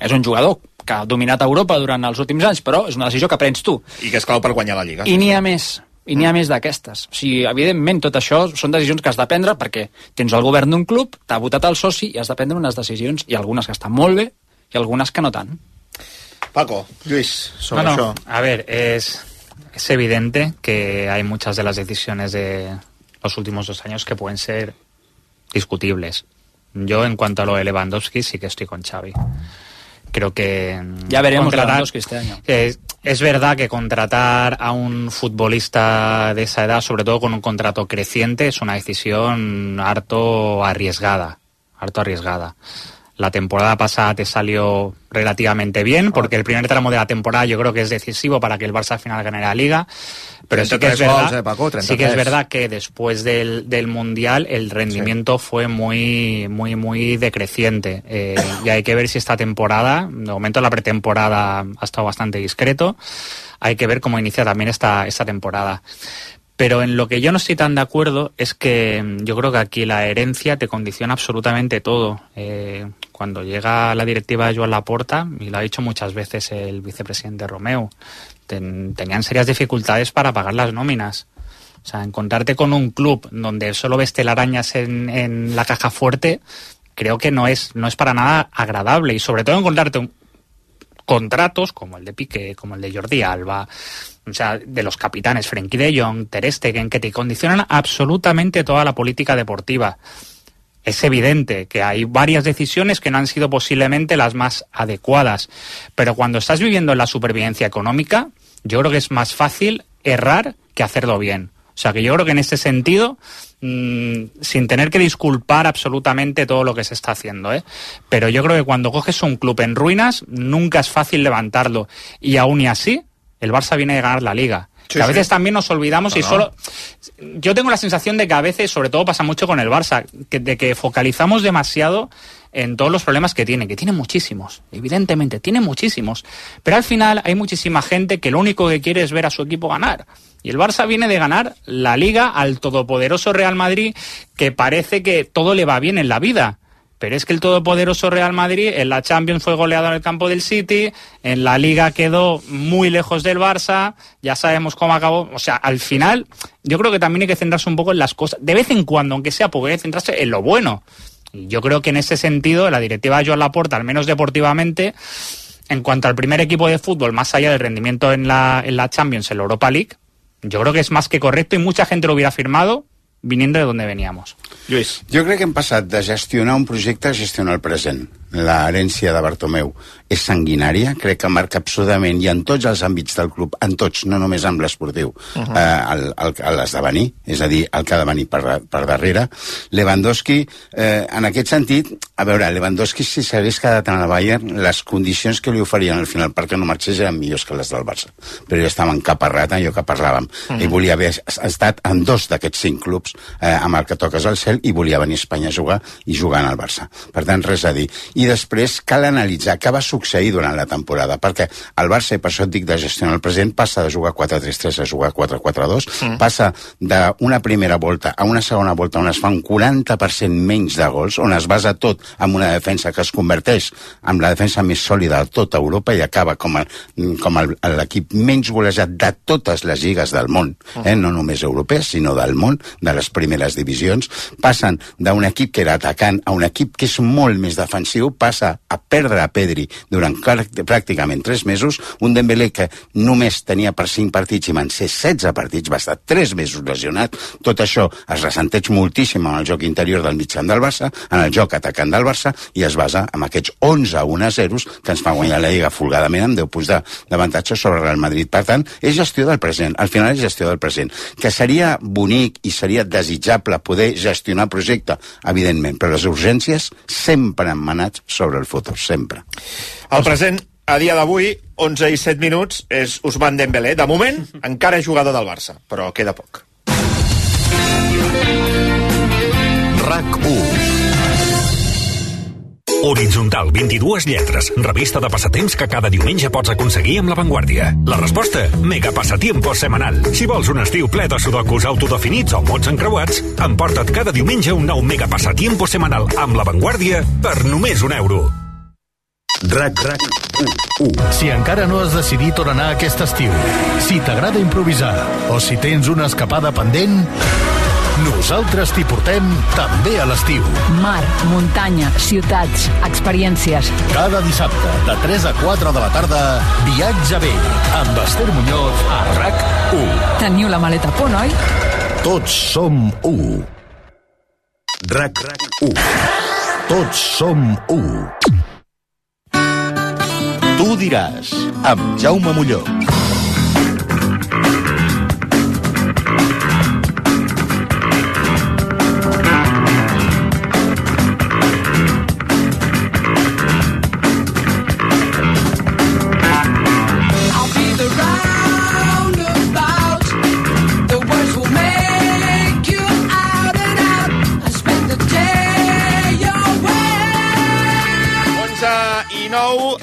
És un jugador que ha dominat Europa durant els últims anys, però és una decisió que prens tu. I que és clau per guanyar la Lliga. I n'hi ha més, i n'hi ha més d'aquestes. O sigui, evidentment, tot això són decisions que has de prendre perquè tens el govern d'un club, t'ha votat el soci i has de prendre unes decisions, i algunes que estan molt bé i algunes que no tant. Paco, Lluís, sobre no, no. això. A ver, es... Es evidente que hay muchas de las decisiones de los últimos dos años que pueden ser discutibles. Yo, en cuanto a lo de Lewandowski, sí que estoy con Xavi. Creo que... Ya veremos Lewandowski este año. Es, es verdad que contratar a un futbolista de esa edad, sobre todo con un contrato creciente, es una decisión harto arriesgada. Harto arriesgada. La temporada pasada te salió relativamente bien, porque el primer tramo de la temporada yo creo que es decisivo para que el Barça al final gane la Liga. Pero sí que es verdad, gols, eh, Paco, sí que es verdad que después del, del Mundial el rendimiento sí. fue muy, muy, muy decreciente. Eh, y hay que ver si esta temporada, de momento la pretemporada ha estado bastante discreto, hay que ver cómo inicia también esta, esta temporada. Pero en lo que yo no estoy tan de acuerdo es que yo creo que aquí la herencia te condiciona absolutamente todo. Eh, cuando llega la directiva de Joan Laporta, y lo ha dicho muchas veces el vicepresidente Romeu, ten, tenían serias dificultades para pagar las nóminas. O sea, encontrarte con un club donde solo ves telarañas en, en la caja fuerte, creo que no es, no es para nada agradable. Y sobre todo encontrarte un, contratos como el de Piqué, como el de Jordi Alba, o sea, de los capitanes Frenkie de Jong, Ter Stegen, que te condicionan absolutamente toda la política deportiva. Es evidente que hay varias decisiones que no han sido posiblemente las más adecuadas, pero cuando estás viviendo en la supervivencia económica, yo creo que es más fácil errar que hacerlo bien. O sea, que yo creo que en ese sentido, mmm, sin tener que disculpar absolutamente todo lo que se está haciendo, ¿eh? Pero yo creo que cuando coges un club en ruinas, nunca es fácil levantarlo. Y aún y así, el Barça viene de ganar la Liga. Sí, que a veces sí. también nos olvidamos no, y solo... Yo tengo la sensación de que a veces, sobre todo pasa mucho con el Barça, que, de que focalizamos demasiado en todos los problemas que tiene, que tiene muchísimos, evidentemente, tiene muchísimos. Pero al final hay muchísima gente que lo único que quiere es ver a su equipo ganar. Y el Barça viene de ganar la Liga al todopoderoso Real Madrid, que parece que todo le va bien en la vida. Pero es que el todopoderoso Real Madrid en la Champions fue goleado en el campo del City, en la Liga quedó muy lejos del Barça, ya sabemos cómo acabó. O sea, al final, yo creo que también hay que centrarse un poco en las cosas. De vez en cuando, aunque sea poco, hay que centrarse en lo bueno. Yo creo que en ese sentido, la directiva de Joan Laporta, al menos deportivamente, en cuanto al primer equipo de fútbol, más allá del rendimiento en la, en la Champions, en la Europa League, yo creo que és més que correcto i mucha gente lo hubiera firmado viniendo de donde veníamos. Lluís. Jo crec que hem passat de gestionar un projecte a gestionar el present. L'herència de Bartomeu és sanguinària, crec que marca absolutament, i en tots els àmbits del club, en tots, no només amb l'esportiu, uh -huh. eh, l'esdevenir, és a dir, el que ha de venir per, per darrere. Lewandowski, eh, en aquest sentit, a veure, Lewandowski, si s'hagués quedat en el Bayern, les condicions que li oferien al final perquè no marxés eren millors que les del Barça. Però ja estava encaparrat, allò que parlàvem. Uh -huh. Ell volia haver estat en dos d'aquests cinc clubs, eh, amb el que toques al cel, i volia venir a Espanya a jugar i jugar en el Barça. Per tant, res a dir. I després cal analitzar què va succeir durant la temporada, perquè el Barça, i per això et dic de gestionar el present, passa de jugar quatre tres tres a jugar quatre quatre dos, mm. passa d'una primera volta a una segona volta on es fa un quaranta per cent menys de gols, on es basa tot en una defensa que es converteix en la defensa més sòlida de tota Europa i acaba com, a, com l'equip menys golejat de totes les lligues del món, eh? No només europees, sinó del món, de les primeres divisions. Passen d'un equip que era atacant a un equip que és molt més defensiu, passa a perdre a Pedri durant pràcticament tres mesos, un Dembélé que només tenia per cinc partits i van ser setze partits, va estar tres mesos lesionat. Tot això es ressenteix moltíssim en el joc interior del mitjan del Barça, en el joc atacant del Barça, i es basa en aquests onze a un a zero que ens fa guanyar la Lliga folgadament amb deu punts d'avantatge sobre el Real Madrid. Per tant, és gestió del present, al final és gestió del present, que seria bonic i seria desitjable poder gestionar el projecte, evidentment, però les urgències sempre han manat sobre el futur, sempre. El present, a dia d'avui, onze i set minuts, és Ousmane Dembélé. De moment, encara és jugador del Barça, però queda poc. RAC u. Horitzontal, vint-i-dues lletres, revista de passatemps que cada diumenge pots aconseguir amb La Vanguardia. La resposta? Mega Passatiempos Semanal. Si vols un estiu ple de sudokus autodefinits o mots encreuats, emporta't cada diumenge un nou Mega Passatiempos Semanal amb La Vanguardia per només un euro. RAC RAC u. Si encara no has decidit on anar aquest estiu, si t'agrada improvisar o si tens una escapada pendent, nosaltres t'hi portem també a l'estiu. Mar, muntanya, ciutats, experiències. Cada dissabte, de tres a quatre de la tarda, Viatge bé, amb Esther Muñoz a RAC u. Teniu la maleta a punt, oi? Tots som u. RAC RAC u. Tots som u. Tu diràs, amb Jaume Molló.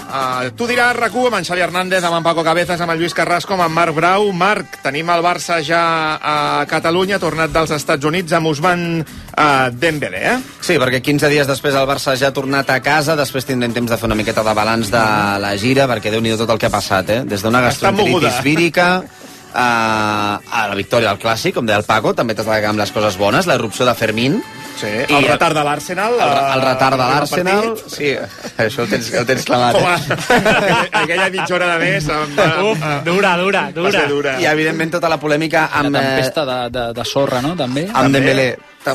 Uh, tu diràs, RAC u, amb en Xavi Hernández, amb en Paco Cabezas, amb en Lluís Carrasco, amb en Marc Brau. Marc, tenim el Barça ja a Catalunya, tornat dels Estats Units, amb Ousmane uh, Dembélé, eh? Sí, perquè quinze dies després el Barça ja ha tornat a casa, després tindrem temps de fer una miqueta de balanç de la gira, perquè Déu-n'hi-do tot el que ha passat, eh? Des d'una gastroenteritis vírica a, a la victòria del Clàssic, com deia el Paco, també t'has de quedar amb les coses bones, la irrupció de Fermín. Sí, el retard de l'Arsenal. El, el retard de l'Arsenal, sí, això el tens, el tens clamat. Eh? aquella, aquella mitja hora de més. Amb, Uf, dura, dura, dura. dura. I, evidentment, tota la polèmica amb... La tempesta de, de, de sorra, no?, també. Amb Dembélé.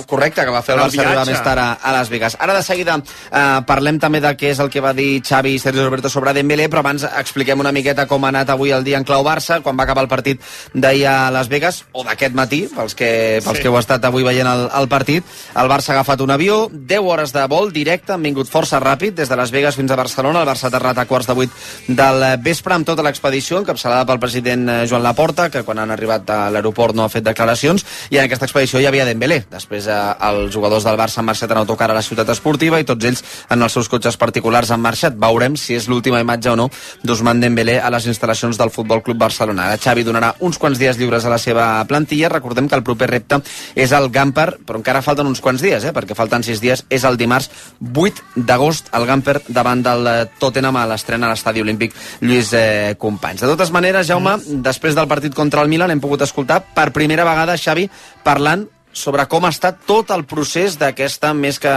correcte, que va fer el, el Barça arribar més tard a, a Las Vegas. Ara de seguida eh, parlem també de què és el que va dir Xavi i Sergio Roberto sobre Dembélé, però abans expliquem una miqueta com ha anat avui el dia en clau Barça, quan va acabar el partit d'ahir a Las Vegas, o d'aquest matí, pels que, pels sí. que heu estat avui veient el, el partit. El Barça ha agafat un avió, deu hores de vol directe, han vingut força ràpid, des de Las Vegas fins a Barcelona. El Barça ha aterrat a quarts de vuit del vespre amb tota l'expedició, encapçalada pel president Joan Laporta, que quan han arribat a l'aeroport no ha fet declaracions, i en aquesta expedició hi havia Dembélé. Després eh, els jugadors del Barça han marxat en autocar a la ciutat esportiva i tots ells en els seus cotxes particulars han marxat. Veurem si és l'última imatge o no d'Ousmane Dembélé a les instal·lacions del Futbol Club Barcelona. Ara Xavi donarà uns quants dies lliures a la seva plantilla. Recordem que el proper repte és el Gamper, però encara falten uns quants dies, eh, perquè falten sis dies. És el dimarts vuit d'agost el Gamper davant del Tottenham a l'estrena a l'Estadi Olímpic Lluís eh, Companys. De totes maneres, Jaume, mm. després del partit contra el Milan hem pogut escoltar per primera vegada Xavi parlant sobre com ha estat tot el procés d'aquesta més que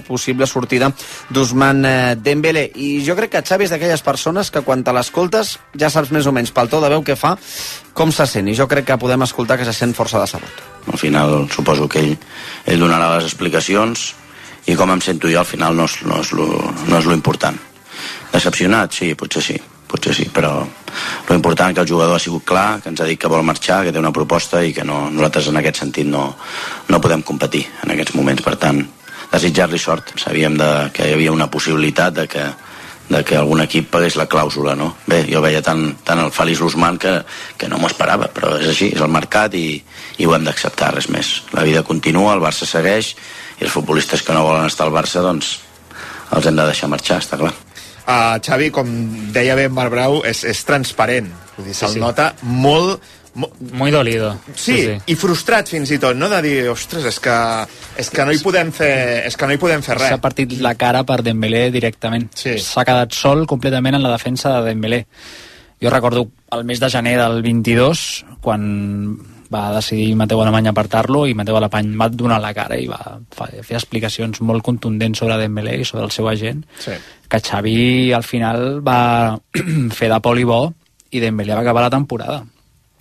possible sortida d'Ousmane Dembélé. I jo crec que Xavi és d'aquelles persones que quan te l'escoltes ja saps més o menys pel to de veu que fa com se sent, i jo crec que podem escoltar que se sent força decebut. Al final suposo que ell, ell donarà les explicacions, i com em sento jo al final no és, no és, lo, no és lo important. Decepcionat? Sí, potser sí. potser sí, però lo important és que el jugador ha sigut clar, que ens ha dit que vol marxar, que té una proposta i que no, nosaltres en aquest sentit no, no podem competir en aquests moments. Per tant, desitjar-li sort. Sabíem de, que hi havia una possibilitat de que, de que algun equip pagués la clàusula, no? Bé, jo veia tan, tan el feliç Ousmane que, que no m'ho esperava, però és així, és el mercat i, i ho hem d'acceptar, res més. La vida continua, el Barça segueix i els futbolistes que no volen estar al Barça, doncs els hem de deixar marxar, està clar. Uh, Xavi, com deia bé Marc Brau, és, és transparent. Vull dir, se'l sí, sí. nota molt... Mo... Muy dolido. Sí, sí, sí, i frustrat fins i tot, no? De dir, ostres, és que, és que no hi podem fer, és que no hi podem fer res. S'ha partit la cara per Dembélé directament. Sí. S'ha quedat sol completament en la defensa de Dembélé. Jo recordo el mes de gener del vint-i-dos, quan va decidir Mateu Alemany apartar-lo, i Mateu Alemany va donar la cara i va fer explicacions molt contundents sobre Dembélé i sobre el seu agent, sí. que Xavi al final va fer de poli bo i Dembélé va acabar la temporada.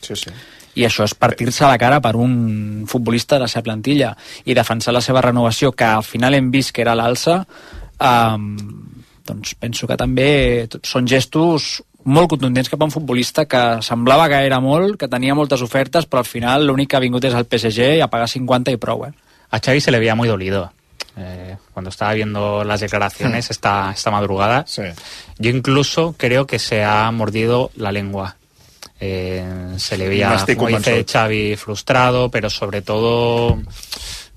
Sí, sí. I això és partir-se la cara per un futbolista de la seva plantilla i defensar la seva renovació, que al final hem vist que era l'alça. Um, doncs penso que també són gestos molt contundents cap a un futbolista que semblava que era molt, que tenia moltes ofertes, però al final l'únic que ha vingut és el P S G i a pagar cincuenta y prou, eh? A Xavi se le veía muy dolido eh, cuando estaba viendo las declaraciones hmm. esta, esta madrugada. Sí. Yo incluso creo que se ha mordido la lengua. Eh, se le veía, como dice Xavi, frustrado, pero sobre todo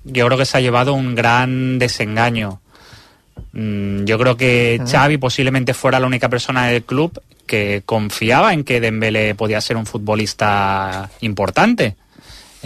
yo creo que se ha llevado un gran desengaño. Mm, yo creo que Xavi posiblemente fuera la única persona del club que confiaba en que Dembélé podía ser un futbolista importante.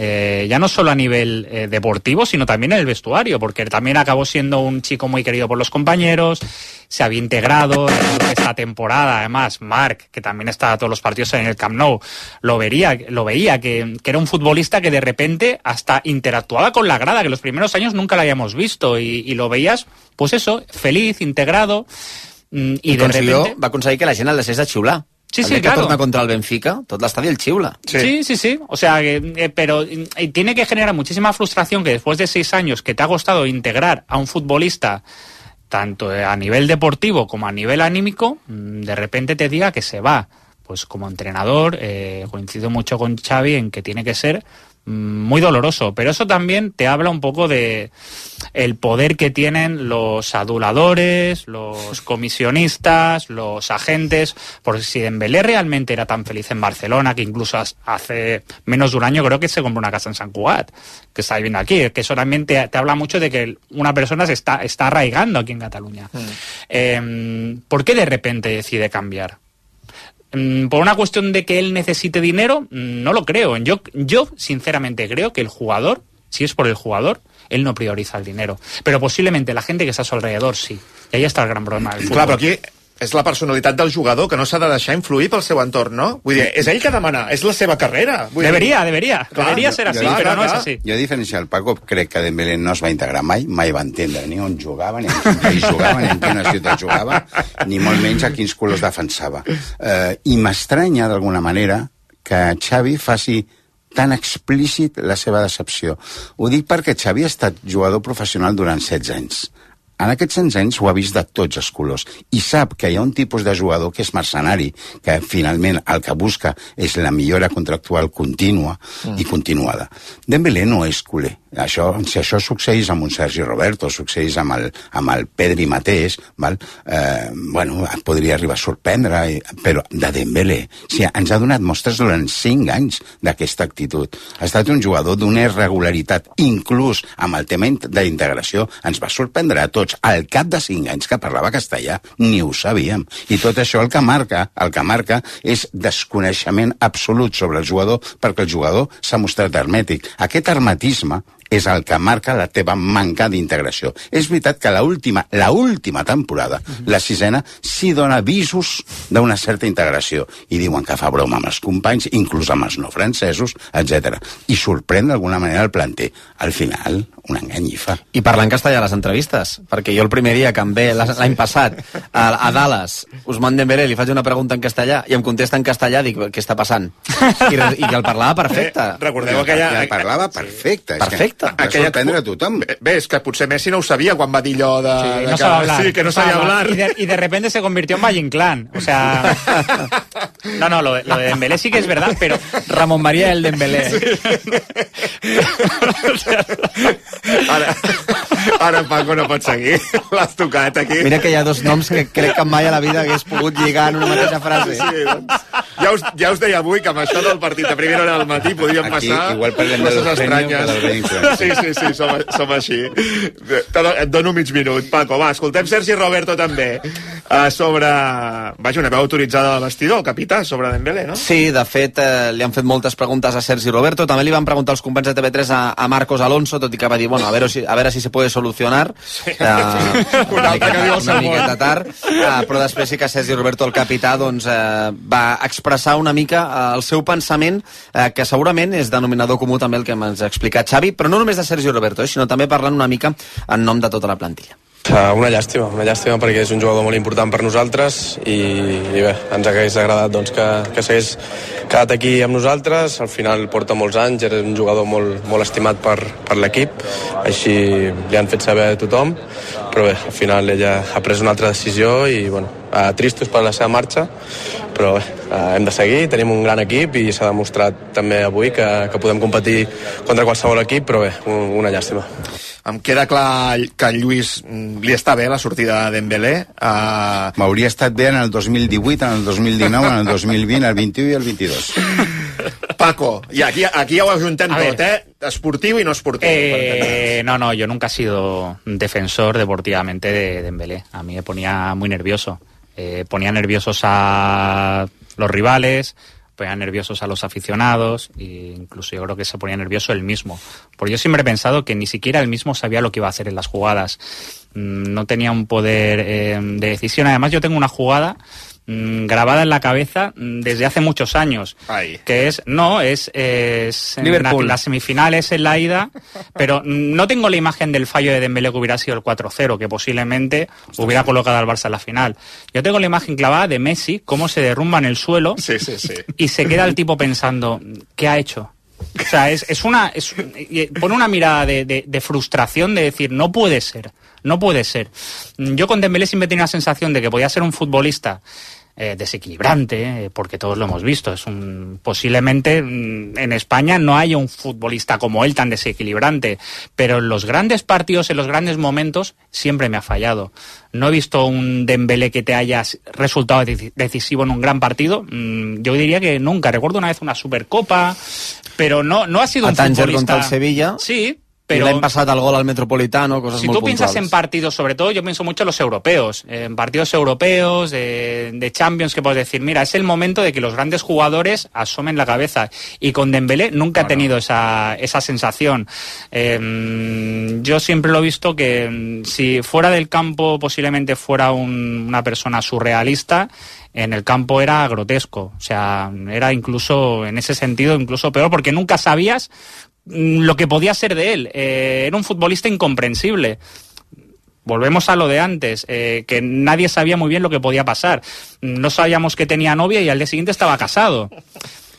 Eh, ya no solo a nivel eh, deportivo, sino también en el vestuario, porque también acabó siendo un chico muy querido por los compañeros, se había integrado en esta temporada. Además, Marc, que también está a todos los partidos en el Camp Nou, lo vería, lo veía que, que era un futbolista que de repente hasta interactuaba con la grada, que los primeros años nunca lo habíamos visto, y, y lo veías, pues eso, feliz, integrado, y, y de repente... va aconseguir que la gent el deixés de xiular. Sí, sí, el que claro. torna contra el Benfica, tot l'estadi el xiula. Sí, sí, sí. sí. O sea, eh, pero eh, tiene que generar muchísima frustración que después de seis años que te ha costado integrar a un futbolista, tanto a nivel deportivo como a nivel anímico, de repente te diga que se va. Pues como entrenador, eh, coincido mucho con Xavi en que tiene que ser muy doloroso, pero eso también te habla un poco de el poder que tienen los aduladores, los comisionistas, los agentes, porque si Dembélé realmente era tan feliz en Barcelona, que incluso hace menos de un año creo que se compró una casa en Sant Cugat, que está viviendo aquí, que eso también te, te habla mucho de que una persona se está, está arraigando aquí en Cataluña. Mm. Eh, ¿por qué de repente decide cambiar? ¿Por una cuestión de que él necesite dinero? No lo creo. Yo, yo sinceramente creo que el jugador, si es por el jugador, él no prioriza el dinero. Pero posiblemente la gente que está a su alrededor sí. I ahí està el gran problema del futbol. Clar, però aquí és la personalitat del jugador que no s'ha de deixar influir pel seu entorn, no? Vull dir, és ell que demana, és la seva carrera. Vull debería, dir... debería. Clar, debería ser así, jo, però clar, no clar. és així. Jo, a diferència del Paco, crec que Dembélé no es va integrar mai, mai va entendre ni on jugava, ni en quin país jugava, ni en quina ciutat jugava, ni molt menys a quins colors defensava. Uh, I m'estranya, d'alguna manera, que Xavi faci tan explícit la seva decepció. Ho dic perquè Xavi ha estat jugador professional durant setze anys. En aquests setze anys ho ha vist de tots els colors i sap que hi ha un tipus de jugador que és mercenari, que finalment el que busca és la millora contractual contínua mm. i continuada. Dembélé no és culer. Això, si això succeís amb un Sergi Roberto, succeís amb el, amb el Pedri mateix, val? Eh, bueno, podria arribar a sorprendre, però de Dembélé, si ens ha donat mostres durant cinc anys d'aquesta actitud. Ha estat un jugador d'una irregularitat, inclús amb el tema d'integració, ens va sorprendre a tots. Al cap de cinc anys que parlava castellà, ni ho sabíem. I tot això el que marca, el que marca és desconeixement absolut sobre el jugador, perquè el jugador s'ha mostrat hermètic. Aquest hermetisme és el que marca la teva manca d'integració. És veritat que l'última la última temporada, uh-huh. la sisena, sí dona visos d'una certa integració. I diuen que fa broma amb els companys, inclús amb els no francesos, etcètera. I sorprèn d'alguna manera el planter. Al final, un enganyifa. I parlant castellà a les entrevistes, perquè jo el primer dia que em ve l'any passat a, a Dallas, Ousmane Dembélé, li faig una pregunta en castellà i em contesta en castellà, dic, què està passant? I, i que el parlava perfecte. Eh, recordeu aquella... El parlava perfecte. Perfecte. Va sorprendre a tothom. Bé, és que potser Messi no ho sabia quan va dir allò de... Sí, de no que, sabía hablar. Sí, que no sabía hablar. Y de, y de repente se convirtió en Valle Inclán. O sea... No, no, lo de, lo de Dembélé sí que es verdad, pero... Ramon María el Dembélé. Sí. Ara, ara Paco no pot seguir. L'has tocat aquí. Mira que hi ha dos noms que crec que mai a la vida hagués pogut lligar en una mateixa frase. Sí, doncs, ja, us, ja us deia avui que amb això del partit a primera hora del matí podríem aquí, passar igual parlem de estranyes. Sí, sí, sí, som, som així. Et dono mig minut. Paco, va, escoltem Sergi Roberto també. Uh, sobre... Vaja, una veu autoritzada del vestidor, el capità, sobre Dembélé, no? Sí, de fet, eh, li han fet moltes preguntes a Sergi Roberto. També li van preguntar els companys de T V tres a, a Marcos Alonso, tot i que va dir, bueno, a veure si, a veure si se puede solucionar. Sí. Uh, una, miqueta, una miqueta tard. Uh, però després sí que Sergi Roberto, el capità, doncs, uh, va expressar una mica uh, el seu pensament, uh, que segurament és denominador comú també el que ens ha explicat Xavi, però no només de Sergi Roberto, eh, sinó també parlant una mica en nom de tota la plantilla. Una llàstima, una llàstima perquè és un jugador molt important per nosaltres i, i bé, ens hagués agradat doncs, que, que s'hagués quedat aquí amb nosaltres. Al final porta molts anys, era un jugador molt, molt estimat per, per l'equip, així li han fet saber a tothom, però bé, al final ella ha pres una altra decisió i bueno, eh, tristos per la seva marxa, però bé, eh, hem de seguir, tenim un gran equip i s'ha demostrat també avui que, que podem competir contra qualsevol equip, però bé, un, una llàstima. Em queda clar que a Lluís li està bé la sortida de Dembélé. Uh... M'hauria estat bé en el dos mil divuit, en el dos mil dinou, en el dos mil vint, el vint-i-u i el vint-i-dos. Paco, y aquí, aquí ya ho ajuntem tot, eh? Esportiu y no esportiu. Eh, no, no, yo nunca he sido defensor deportivamente de Dembélé. A mí me ponía muy nervioso. Eh, ponía nerviosos a los rivales, ponía nerviosos a los aficionados e incluso yo creo que se ponía nervioso él mismo. Porque yo siempre he pensado que ni siquiera él mismo sabía lo que iba a hacer en las jugadas. No tenía un poder eh, de decisión. Además, yo tengo una jugada mmm, grabada en la cabeza desde hace muchos años. Ay. Que es, no, es, es en la, las semifinales en la ida, pero no tengo la imagen del fallo de Dembélé que hubiera sido el cuatro cero, que posiblemente hubiera colocado al Barça en la final. Yo tengo la imagen clavada de Messi, cómo se derrumba en el suelo, sí, sí, sí. Y se queda el tipo pensando, ¿qué ha hecho? O sea, es, es una, es, pone una mirada de, de, de frustración de decir, no puede ser, no puede ser. Yo con Dembélé siempre tenía la sensación de que podía ser un futbolista eh, desequilibrante, eh, porque todos lo hemos visto. Es un, posiblemente en España no haya un futbolista como él tan desequilibrante, pero en los grandes partidos, en los grandes momentos, siempre me ha fallado. No he visto un Dembélé que te haya resultado decisivo en un gran partido. Yo diría que nunca. Recuerdo una vez una Supercopa, pero no, no ha sido a un Tanger futbolista... contra el Sevilla. Sí, pero... Y l'any passat el gol al Metropolitano, cosas si muy tú piensas puntuales. en partidos, sobre todo yo pienso mucho en los europeos, en partidos europeos, de, de Champions, que puedes decir, mira, es el momento de que los grandes jugadores asomen la cabeza. Y con Dembélé nunca bueno. he tenido esa, esa sensación. Eh, yo siempre lo he visto que si fuera del campo posiblemente fuera un, una persona surrealista, en el campo era grotesco. O sea, era incluso, en ese sentido, incluso peor, porque nunca sabías lo que podía ser de él. Eh, era un futbolista incomprensible. Volvemos a lo de antes, eh, que nadie sabía muy bien lo que podía pasar. No sabíamos que tenía novia y al día siguiente estaba casado.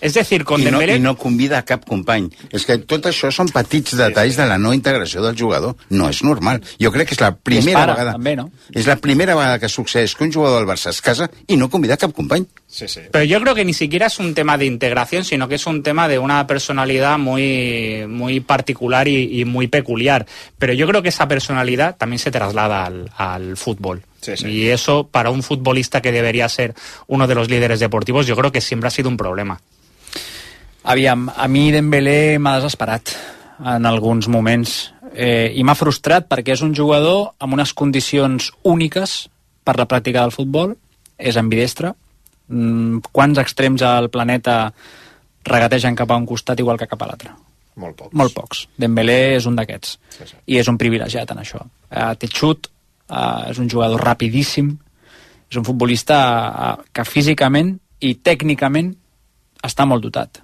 Es decir, con I no, Dembélé... I no convida a cap company. És que tot això són petits detalls de la no integració del jugador. No és normal. Jo crec que és la primera para, vegada... també, no? És la primera vegada que succeeix que un jugador del Barça es casa i no convida a cap company. Sí, sí. Pero yo creo que ni siquiera es un tema de integración, sino que es un tema de una personalidad muy, muy particular y, y muy peculiar. Pero yo creo que esa personalidad también se traslada al, al fútbol. Sí, sí. Y eso, para un futbolista que debería ser uno de los líderes deportivos, yo creo que siempre ha sido un problema. Aviam, a mi Dembélé m'ha desesperat en alguns moments eh, i m'ha frustrat perquè és un jugador amb unes condicions úniques per la pràctica del futbol, és ambidestre. Mm, quants extrems al planeta regategen cap a un costat igual que cap a l'altre? Molt pocs. Molt pocs. Dembélé és un d'aquests. Sí, sí. I és un privilegiat en això. Eh, té xut, eh, és un jugador rapidíssim, és un futbolista eh, que físicament i tècnicament està molt dotat.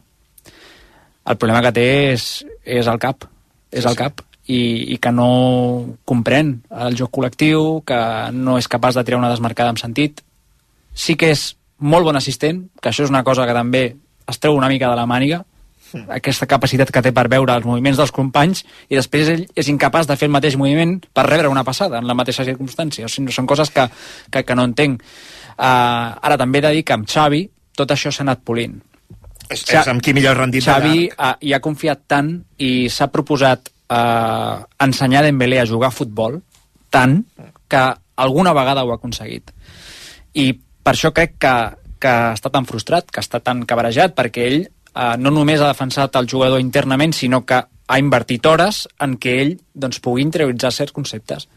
El problema que té és, és el cap, és el cap, i, i que no comprèn el joc col·lectiu, que no és capaç de triar una desmarcada amb sentit. Sí que és molt bon assistent, que això és una cosa que també es treu una mica de la màniga, aquesta capacitat que té per veure els moviments dels companys, i després ell és incapaç de fer el mateix moviment per rebre una passada en la mateixa circumstància. O sigui, són coses que, que, que no entenc. Uh, ara també he de dir que amb Xavi tot això s'ha anat polint. És, és amb qui millor rendit Xavi ha, hi ha confiat tant i s'ha proposat eh, ensenyar a Dembélé a jugar a futbol tant que alguna vegada ho ha aconseguit. I per això crec que, que està tan frustrat, que està tan cabrejat, perquè ell eh, no només ha defensat el jugador internament, sinó que ha invertit hores en què ell doncs, pugui interioritzar certs conceptes.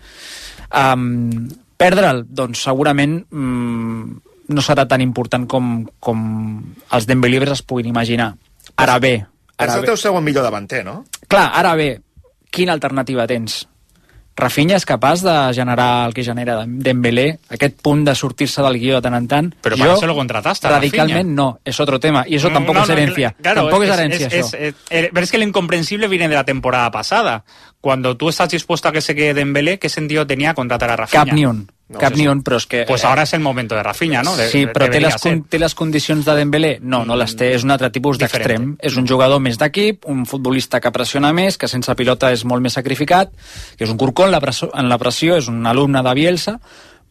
Um, perdre'l, doncs segurament... Um, no serà tan important com, com els Dembélés es puguin imaginar. Ara bé... És el teu segon millor davanter, no? Clar, ara bé, quina alternativa tens? Rafinha és capaç de generar el que genera Dembélé, aquest punt de sortir-se del guió de tant en tant. Però para eso lo contrataste, radicalment Rafinha. No, es otro tema, y eso no, tampoco no, es herencia. No, claro, tampoco es, es herencia es, eso. Es, es, pero es que el incomprensible viene de la temporada pasada. Cuando tú estás dispuesto a que se quede Dembélé, ¿qué sentido tenía contratar a Rafinha? Cap ni un. No, cap ni un, però és que... Pues ahora es el momento de Rafinha, ¿no? De, sí, però té les, té les condicions de Dembélé? No, no les té, és un altre tipus d'extrem. És un jugador més d'equip, un futbolista que pressiona més, que sense pilota és molt més sacrificat, que és un corcó en la pressió, en la pressió és un alumne de Bielsa,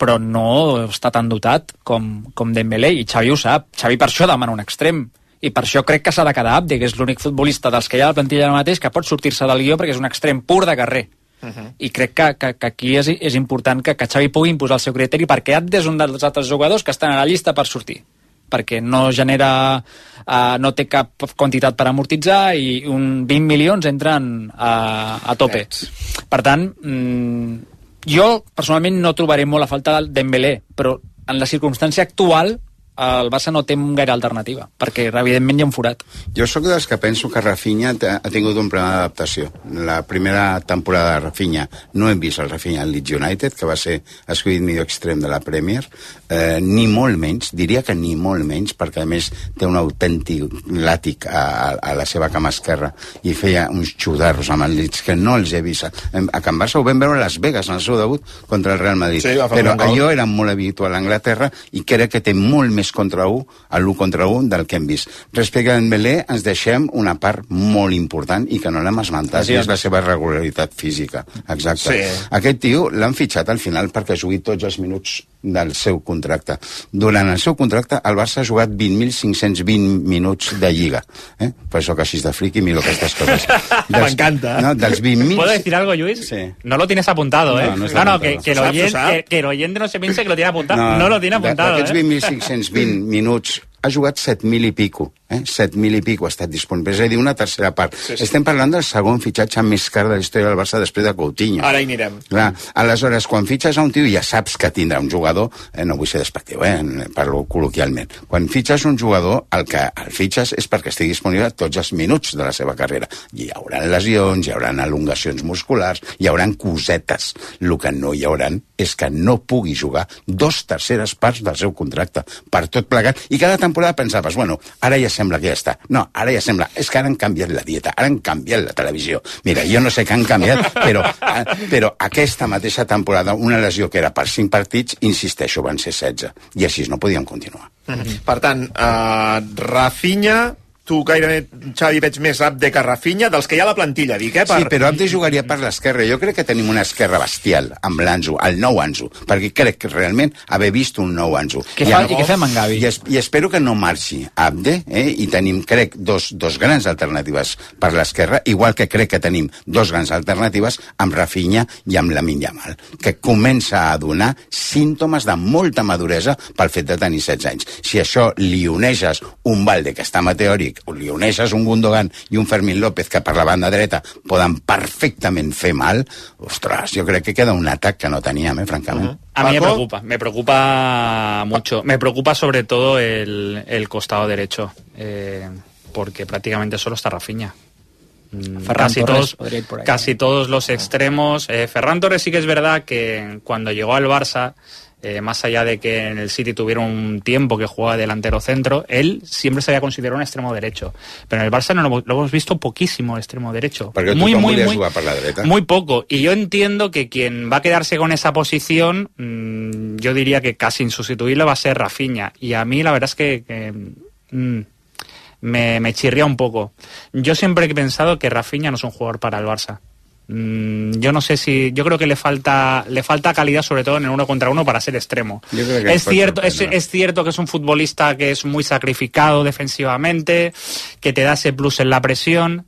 però no està tan dotat com, com Dembélé, i Xavi ho sap. Xavi per això demana un extrem, i per això crec que s'ha de quedar Abde, que és l'únic futbolista dels que hi ha a la plantilla ara mateix que pot sortir-se del guió perquè és un extrem pur de carrer. Uh-huh. I crec que, que, que aquí és, és important que, que Xavi pugui imposar el seu criteri, perquè Abde és un dels altres jugadors que estan a la llista per sortir, perquè no genera uh, no té cap quantitat per amortitzar i un vint milions entren uh, a tope. Per tant, mm, jo personalment no trobaré molt a falta del Dembélé, però en la circumstància actual el Barça no té gaire alternativa, perquè evidentment hi ha un forat. Jo sóc dels que penso que Rafinha ha tingut un problema d'adaptació. La primera temporada de Rafinha no hem vist el Rafinha al Leeds United, que va ser escollit millor extrem de la Premier, eh, ni molt menys, diria que ni molt menys, perquè a més té un autèntic làtic a, a la seva cama esquerra i feia uns xudarros amb el Leeds que no els he vist. A Can Barça ho vam veure a Las Vegas en el seu debut contra el Real Madrid, sí, però allò era molt habitual a Anglaterra i crec que té molt més contra un, a l'u contra un del que hem vist. Respecte a Dembélé, ens deixem una part molt important i que no l'hem esmentat, sí, i és la seva regularitat física. Exacte. Sí. Aquest tio l'han fitxat al final perquè jugui tots els minuts del seu contracte. Durant el seu contracte, el Barça ha jugat vint mil cinc-cents vint minuts de Lliga. Eh? Per això que així de friqui miro aquestes coses. M'encanta. No, dels vint mil... ¿Puedo decir algo, Lluís? Sí. No lo tienes apuntado, ¿eh? No, no, no, no apuntado. que, que, el oyente, que, que el oyente no se piense que lo tiene apuntado. No, no lo tiene apuntado, d'aquests eh? vint mil cinc-cents vint minuts ha jugat set mil i pico, eh? set mil i pico ha estat disponible, és a dir, una tercera part. Sí, sí. Estem parlant del segon fitxatge més car de la història del Barça després de Coutinho. Ara hi anirem. Clar, aleshores, quan fitxes a un tio ja saps que tindrà un jugador, eh, no vull ser despectiu, eh, parlo col·loquialment. Quan fitxes un jugador, el que el fitxes és perquè estigui disponible tots els minuts de la seva carrera. Hi haurà lesions, hi haurà elongacions musculars, hi haurà cosetes. El que no hi haurà és que no pugui jugar dos terceres parts del seu contracte, per tot plegat, i cada temporada pensaves, bueno, ara ja sembla que ja està. No, ara ja sembla, és que ara han canviat la dieta, ara han canviat la televisió. Mira, jo no sé què han canviat, però, però aquesta mateixa temporada, una lesió que era per cinc partits, insisteixo, van ser setze, i així no podíem continuar. Mm-hmm. Per tant, uh, Rafinha, tu gairebé, Xavi, veig més Abde que Rafinha, dels que hi ha a la plantilla, dic, eh? Per... Sí, però Abde jugaria per l'esquerra. Jo crec que tenim una esquerra bestial amb l'Ansu, el nou Ansu, perquè crec que realment haver vist un nou Ansu. Què fa, I, I què fem amb Gavi? I, es, I espero que no marxi Abde, eh? I tenim, crec, dos, dos grans alternatives per l'esquerra, igual que crec que tenim dos grans alternatives amb Rafinha i amb Lamine Yamal, que comença a donar símptomes de molta maduresa pel fet de tenir setze anys. Si això li uneixes un Valde que està meteòric, o li uneixes un Gundogan i un Fermín López que per la banda dreta poden perfectament fer mal, ostres, jo crec que queda un atac que no teníem, eh, francament. Uh-huh. A mí me preocupa, me preocupa mucho. Me preocupa sobre todo el, el costado derecho, eh, porque prácticamente solo está Rafinha. Casi todos, por casi todos los extremos. Eh, Ferran Torres sí que es verdad que cuando llegó al Barça, Eh, más allá de que en el City tuviera un tiempo que jugaba delantero centro, él siempre se había considerado un extremo derecho. Pero en el Barça no lo, lo hemos visto poquísimo extremo derecho. Porque muy, muy, muy, jugar por la derecha. Muy poco. Y yo entiendo que quien va a quedarse con esa posición, mmm, yo diría que casi insustituible va a ser Rafinha. Y a mí la verdad es que... que mmm, me, me chirría un poco. Yo siempre he pensado que Rafinha no es un jugador para el Barça. Yo no sé si, yo creo que le falta le falta calidad, sobre todo en el uno contra uno, para ser extremo. Es cierto, es, es cierto que es un futbolista que es muy sacrificado defensivamente, que te da ese plus en la presión,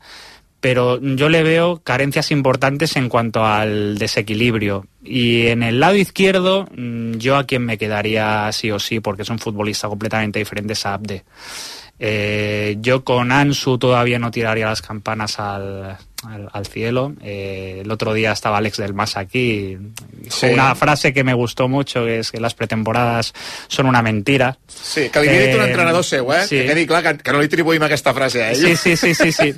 pero yo le veo carencias importantes en cuanto al desequilibrio. Y en el lado izquierdo, yo a quien me quedaría sí o sí, porque es un futbolista completamente diferente, es Abde. Eh, yo con Ansu todavía no tiraría las campanas al, al, al cielo. Eh, el otro día estaba Alex del Mas aquí, sí. Una frase que me gustó mucho, que es que las pretemporadas son una mentira. Sí, que li havia dit un entrenador seu, eh? Sí. Que quedi clar que, que no li atribuïm aquesta frase a ell. Sí, sí, sí, sí, sí.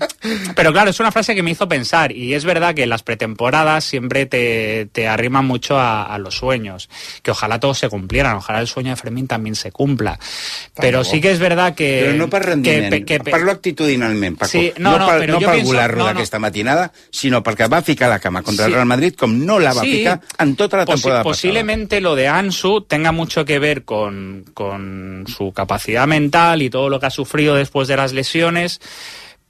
Pero claro, es una frase que me hizo pensar, y es verdad que las pretemporadas siempre te, te arriman mucho a, a los sueños, que ojalá todos se cumplieran, ojalá el sueño de Fermín también se cumpla. Pero sí que és verdad que... Però no per rendiment, que, que, parlo actitudinalment, Paco. Sí, no, no, no, per, no per volar-lo no, no. d'aquesta matinada, sinó perquè va ficar la cama contra sí. el Real Madrid com no la va sí. ficar en tota la temporada Posi posiblemente pasada. Lo de Ansu tenga mucho que ver con, con su capacidad mental y todo lo que ha sufrido después de las lesiones,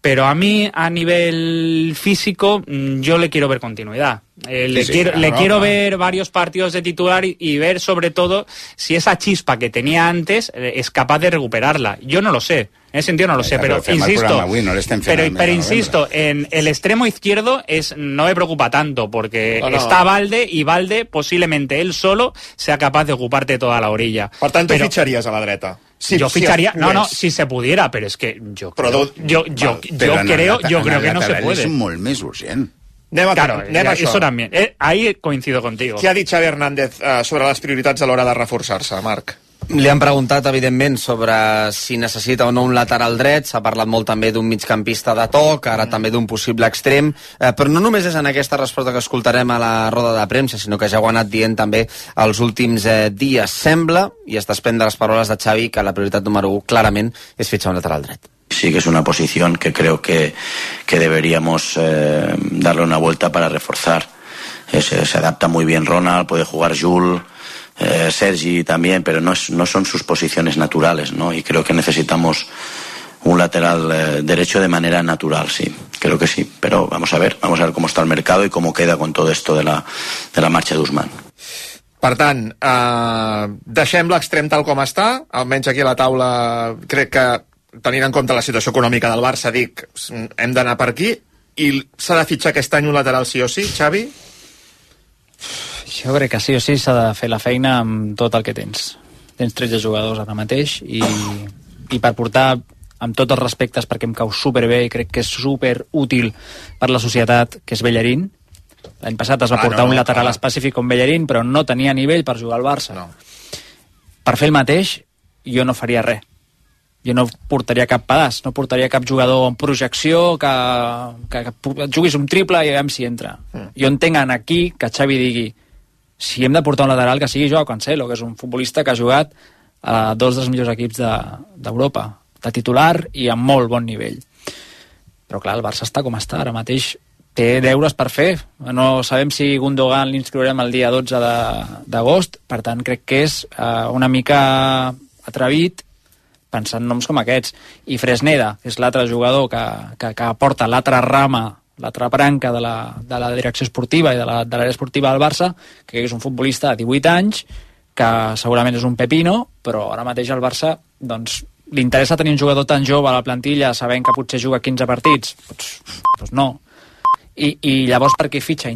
pero a mí, a nivel físico, yo le quiero ver continuidad. Eh, le sí, quiero, claro, le quiero claro. ver varios partidos de titular y, y ver sobre todo si esa chispa que tenía antes eh, es capaz de recuperarla. Yo no lo sé, en ese sentido no lo sé, pero, pero insisto, avui, no pero, pero insisto, en el extremo izquierdo es no me preocupa tanto porque no, no. está Valde y Valde posiblemente él solo sea capaz de ocuparte toda la orilla. Por tanto, pero, ficharías a la dreta. Sí, yo ficharía, si no, no, si se pudiera, pero es que yo creo, yo, yo, yo, yo creo, yo creo que no se puede. És molt més urgent. Anem a, claro, anem a això. Eso también. Eh, ahí coincido contigo. Què ha dit Xavi Hernández eh, sobre les prioritats a l'hora de reforçar-se, Marc? Li han preguntat, evidentment, sobre si necessita o no un lateral dret. S'ha parlat molt també d'un migcampista de toc, ara mm. també d'un possible extrem. Eh, però no només és en aquesta resposta que escoltarem a la roda de premsa, sinó que ja ho ha anat dient també els últims eh, dies. Sembla, i es desprèn de les paraules de Xavi, que la prioritat número u clarament és fitxar un lateral dret. Sí que es una posición que creo que, que deberíamos eh, darle una vuelta para reforzar. Es, se adapta muy bien Ronald, puede jugar Jules, eh, Sergi también, pero no, es, no son sus posiciones naturales, ¿no? Y creo que necesitamos un lateral eh, derecho de manera natural, sí, creo que sí. Pero vamos a ver, vamos a ver cómo está el mercado y cómo queda con todo esto de la, de la marxa d'Ousmane. Per tant, eh, deixem l'extrem tal com està, almenys aquí a la taula crec que tenint en compte la situació econòmica del Barça, dic, hem d'anar per aquí, i s'ha de fitxar aquest any un lateral sí o sí, Xavi? Jo crec que sí o sí s'ha de fer la feina amb tot el que tens. Tens tretze jugadors ara mateix i, i per portar amb tots els respectes, perquè em cau superbé i crec que és superútil per la societat, que és Bellerín. L'any passat es va ah, portar no, un lateral clar. específic com Bellerín, però no tenia nivell per jugar al Barça. No. Per fer el mateix, jo no faria res. Jo no portaria cap pedaç, no portaria cap jugador en projecció que, que, que juguis un triple i veiem si entra. Mm. Jo entenc aquí que Xavi digui si hem de portar un lateral que sigui Joao Cancelo, que és un futbolista que ha jugat a dos dels millors equips d'Europa, de, de titular i amb molt bon nivell. Però clar, el Barça està com està, ara mateix té deures per fer. No sabem si Gundogan l'inscriurem el dia dotze d'agost, per tant crec que és uh, una mica atrevit pensant noms com aquests. I Fresneda, que és l'altre jugador que, que, que aporta l'altra rama, l'altra branca de la, de la direcció esportiva i de la, de l'àrea esportiva del Barça, que és un futbolista de divuit anys, que segurament és un pepino, però ara mateix al Barça doncs, li interessa tenir un jugador tan jove a la plantilla sabent que potser juga quinze partits? Doncs, doncs no. I, i llavors per què fitxa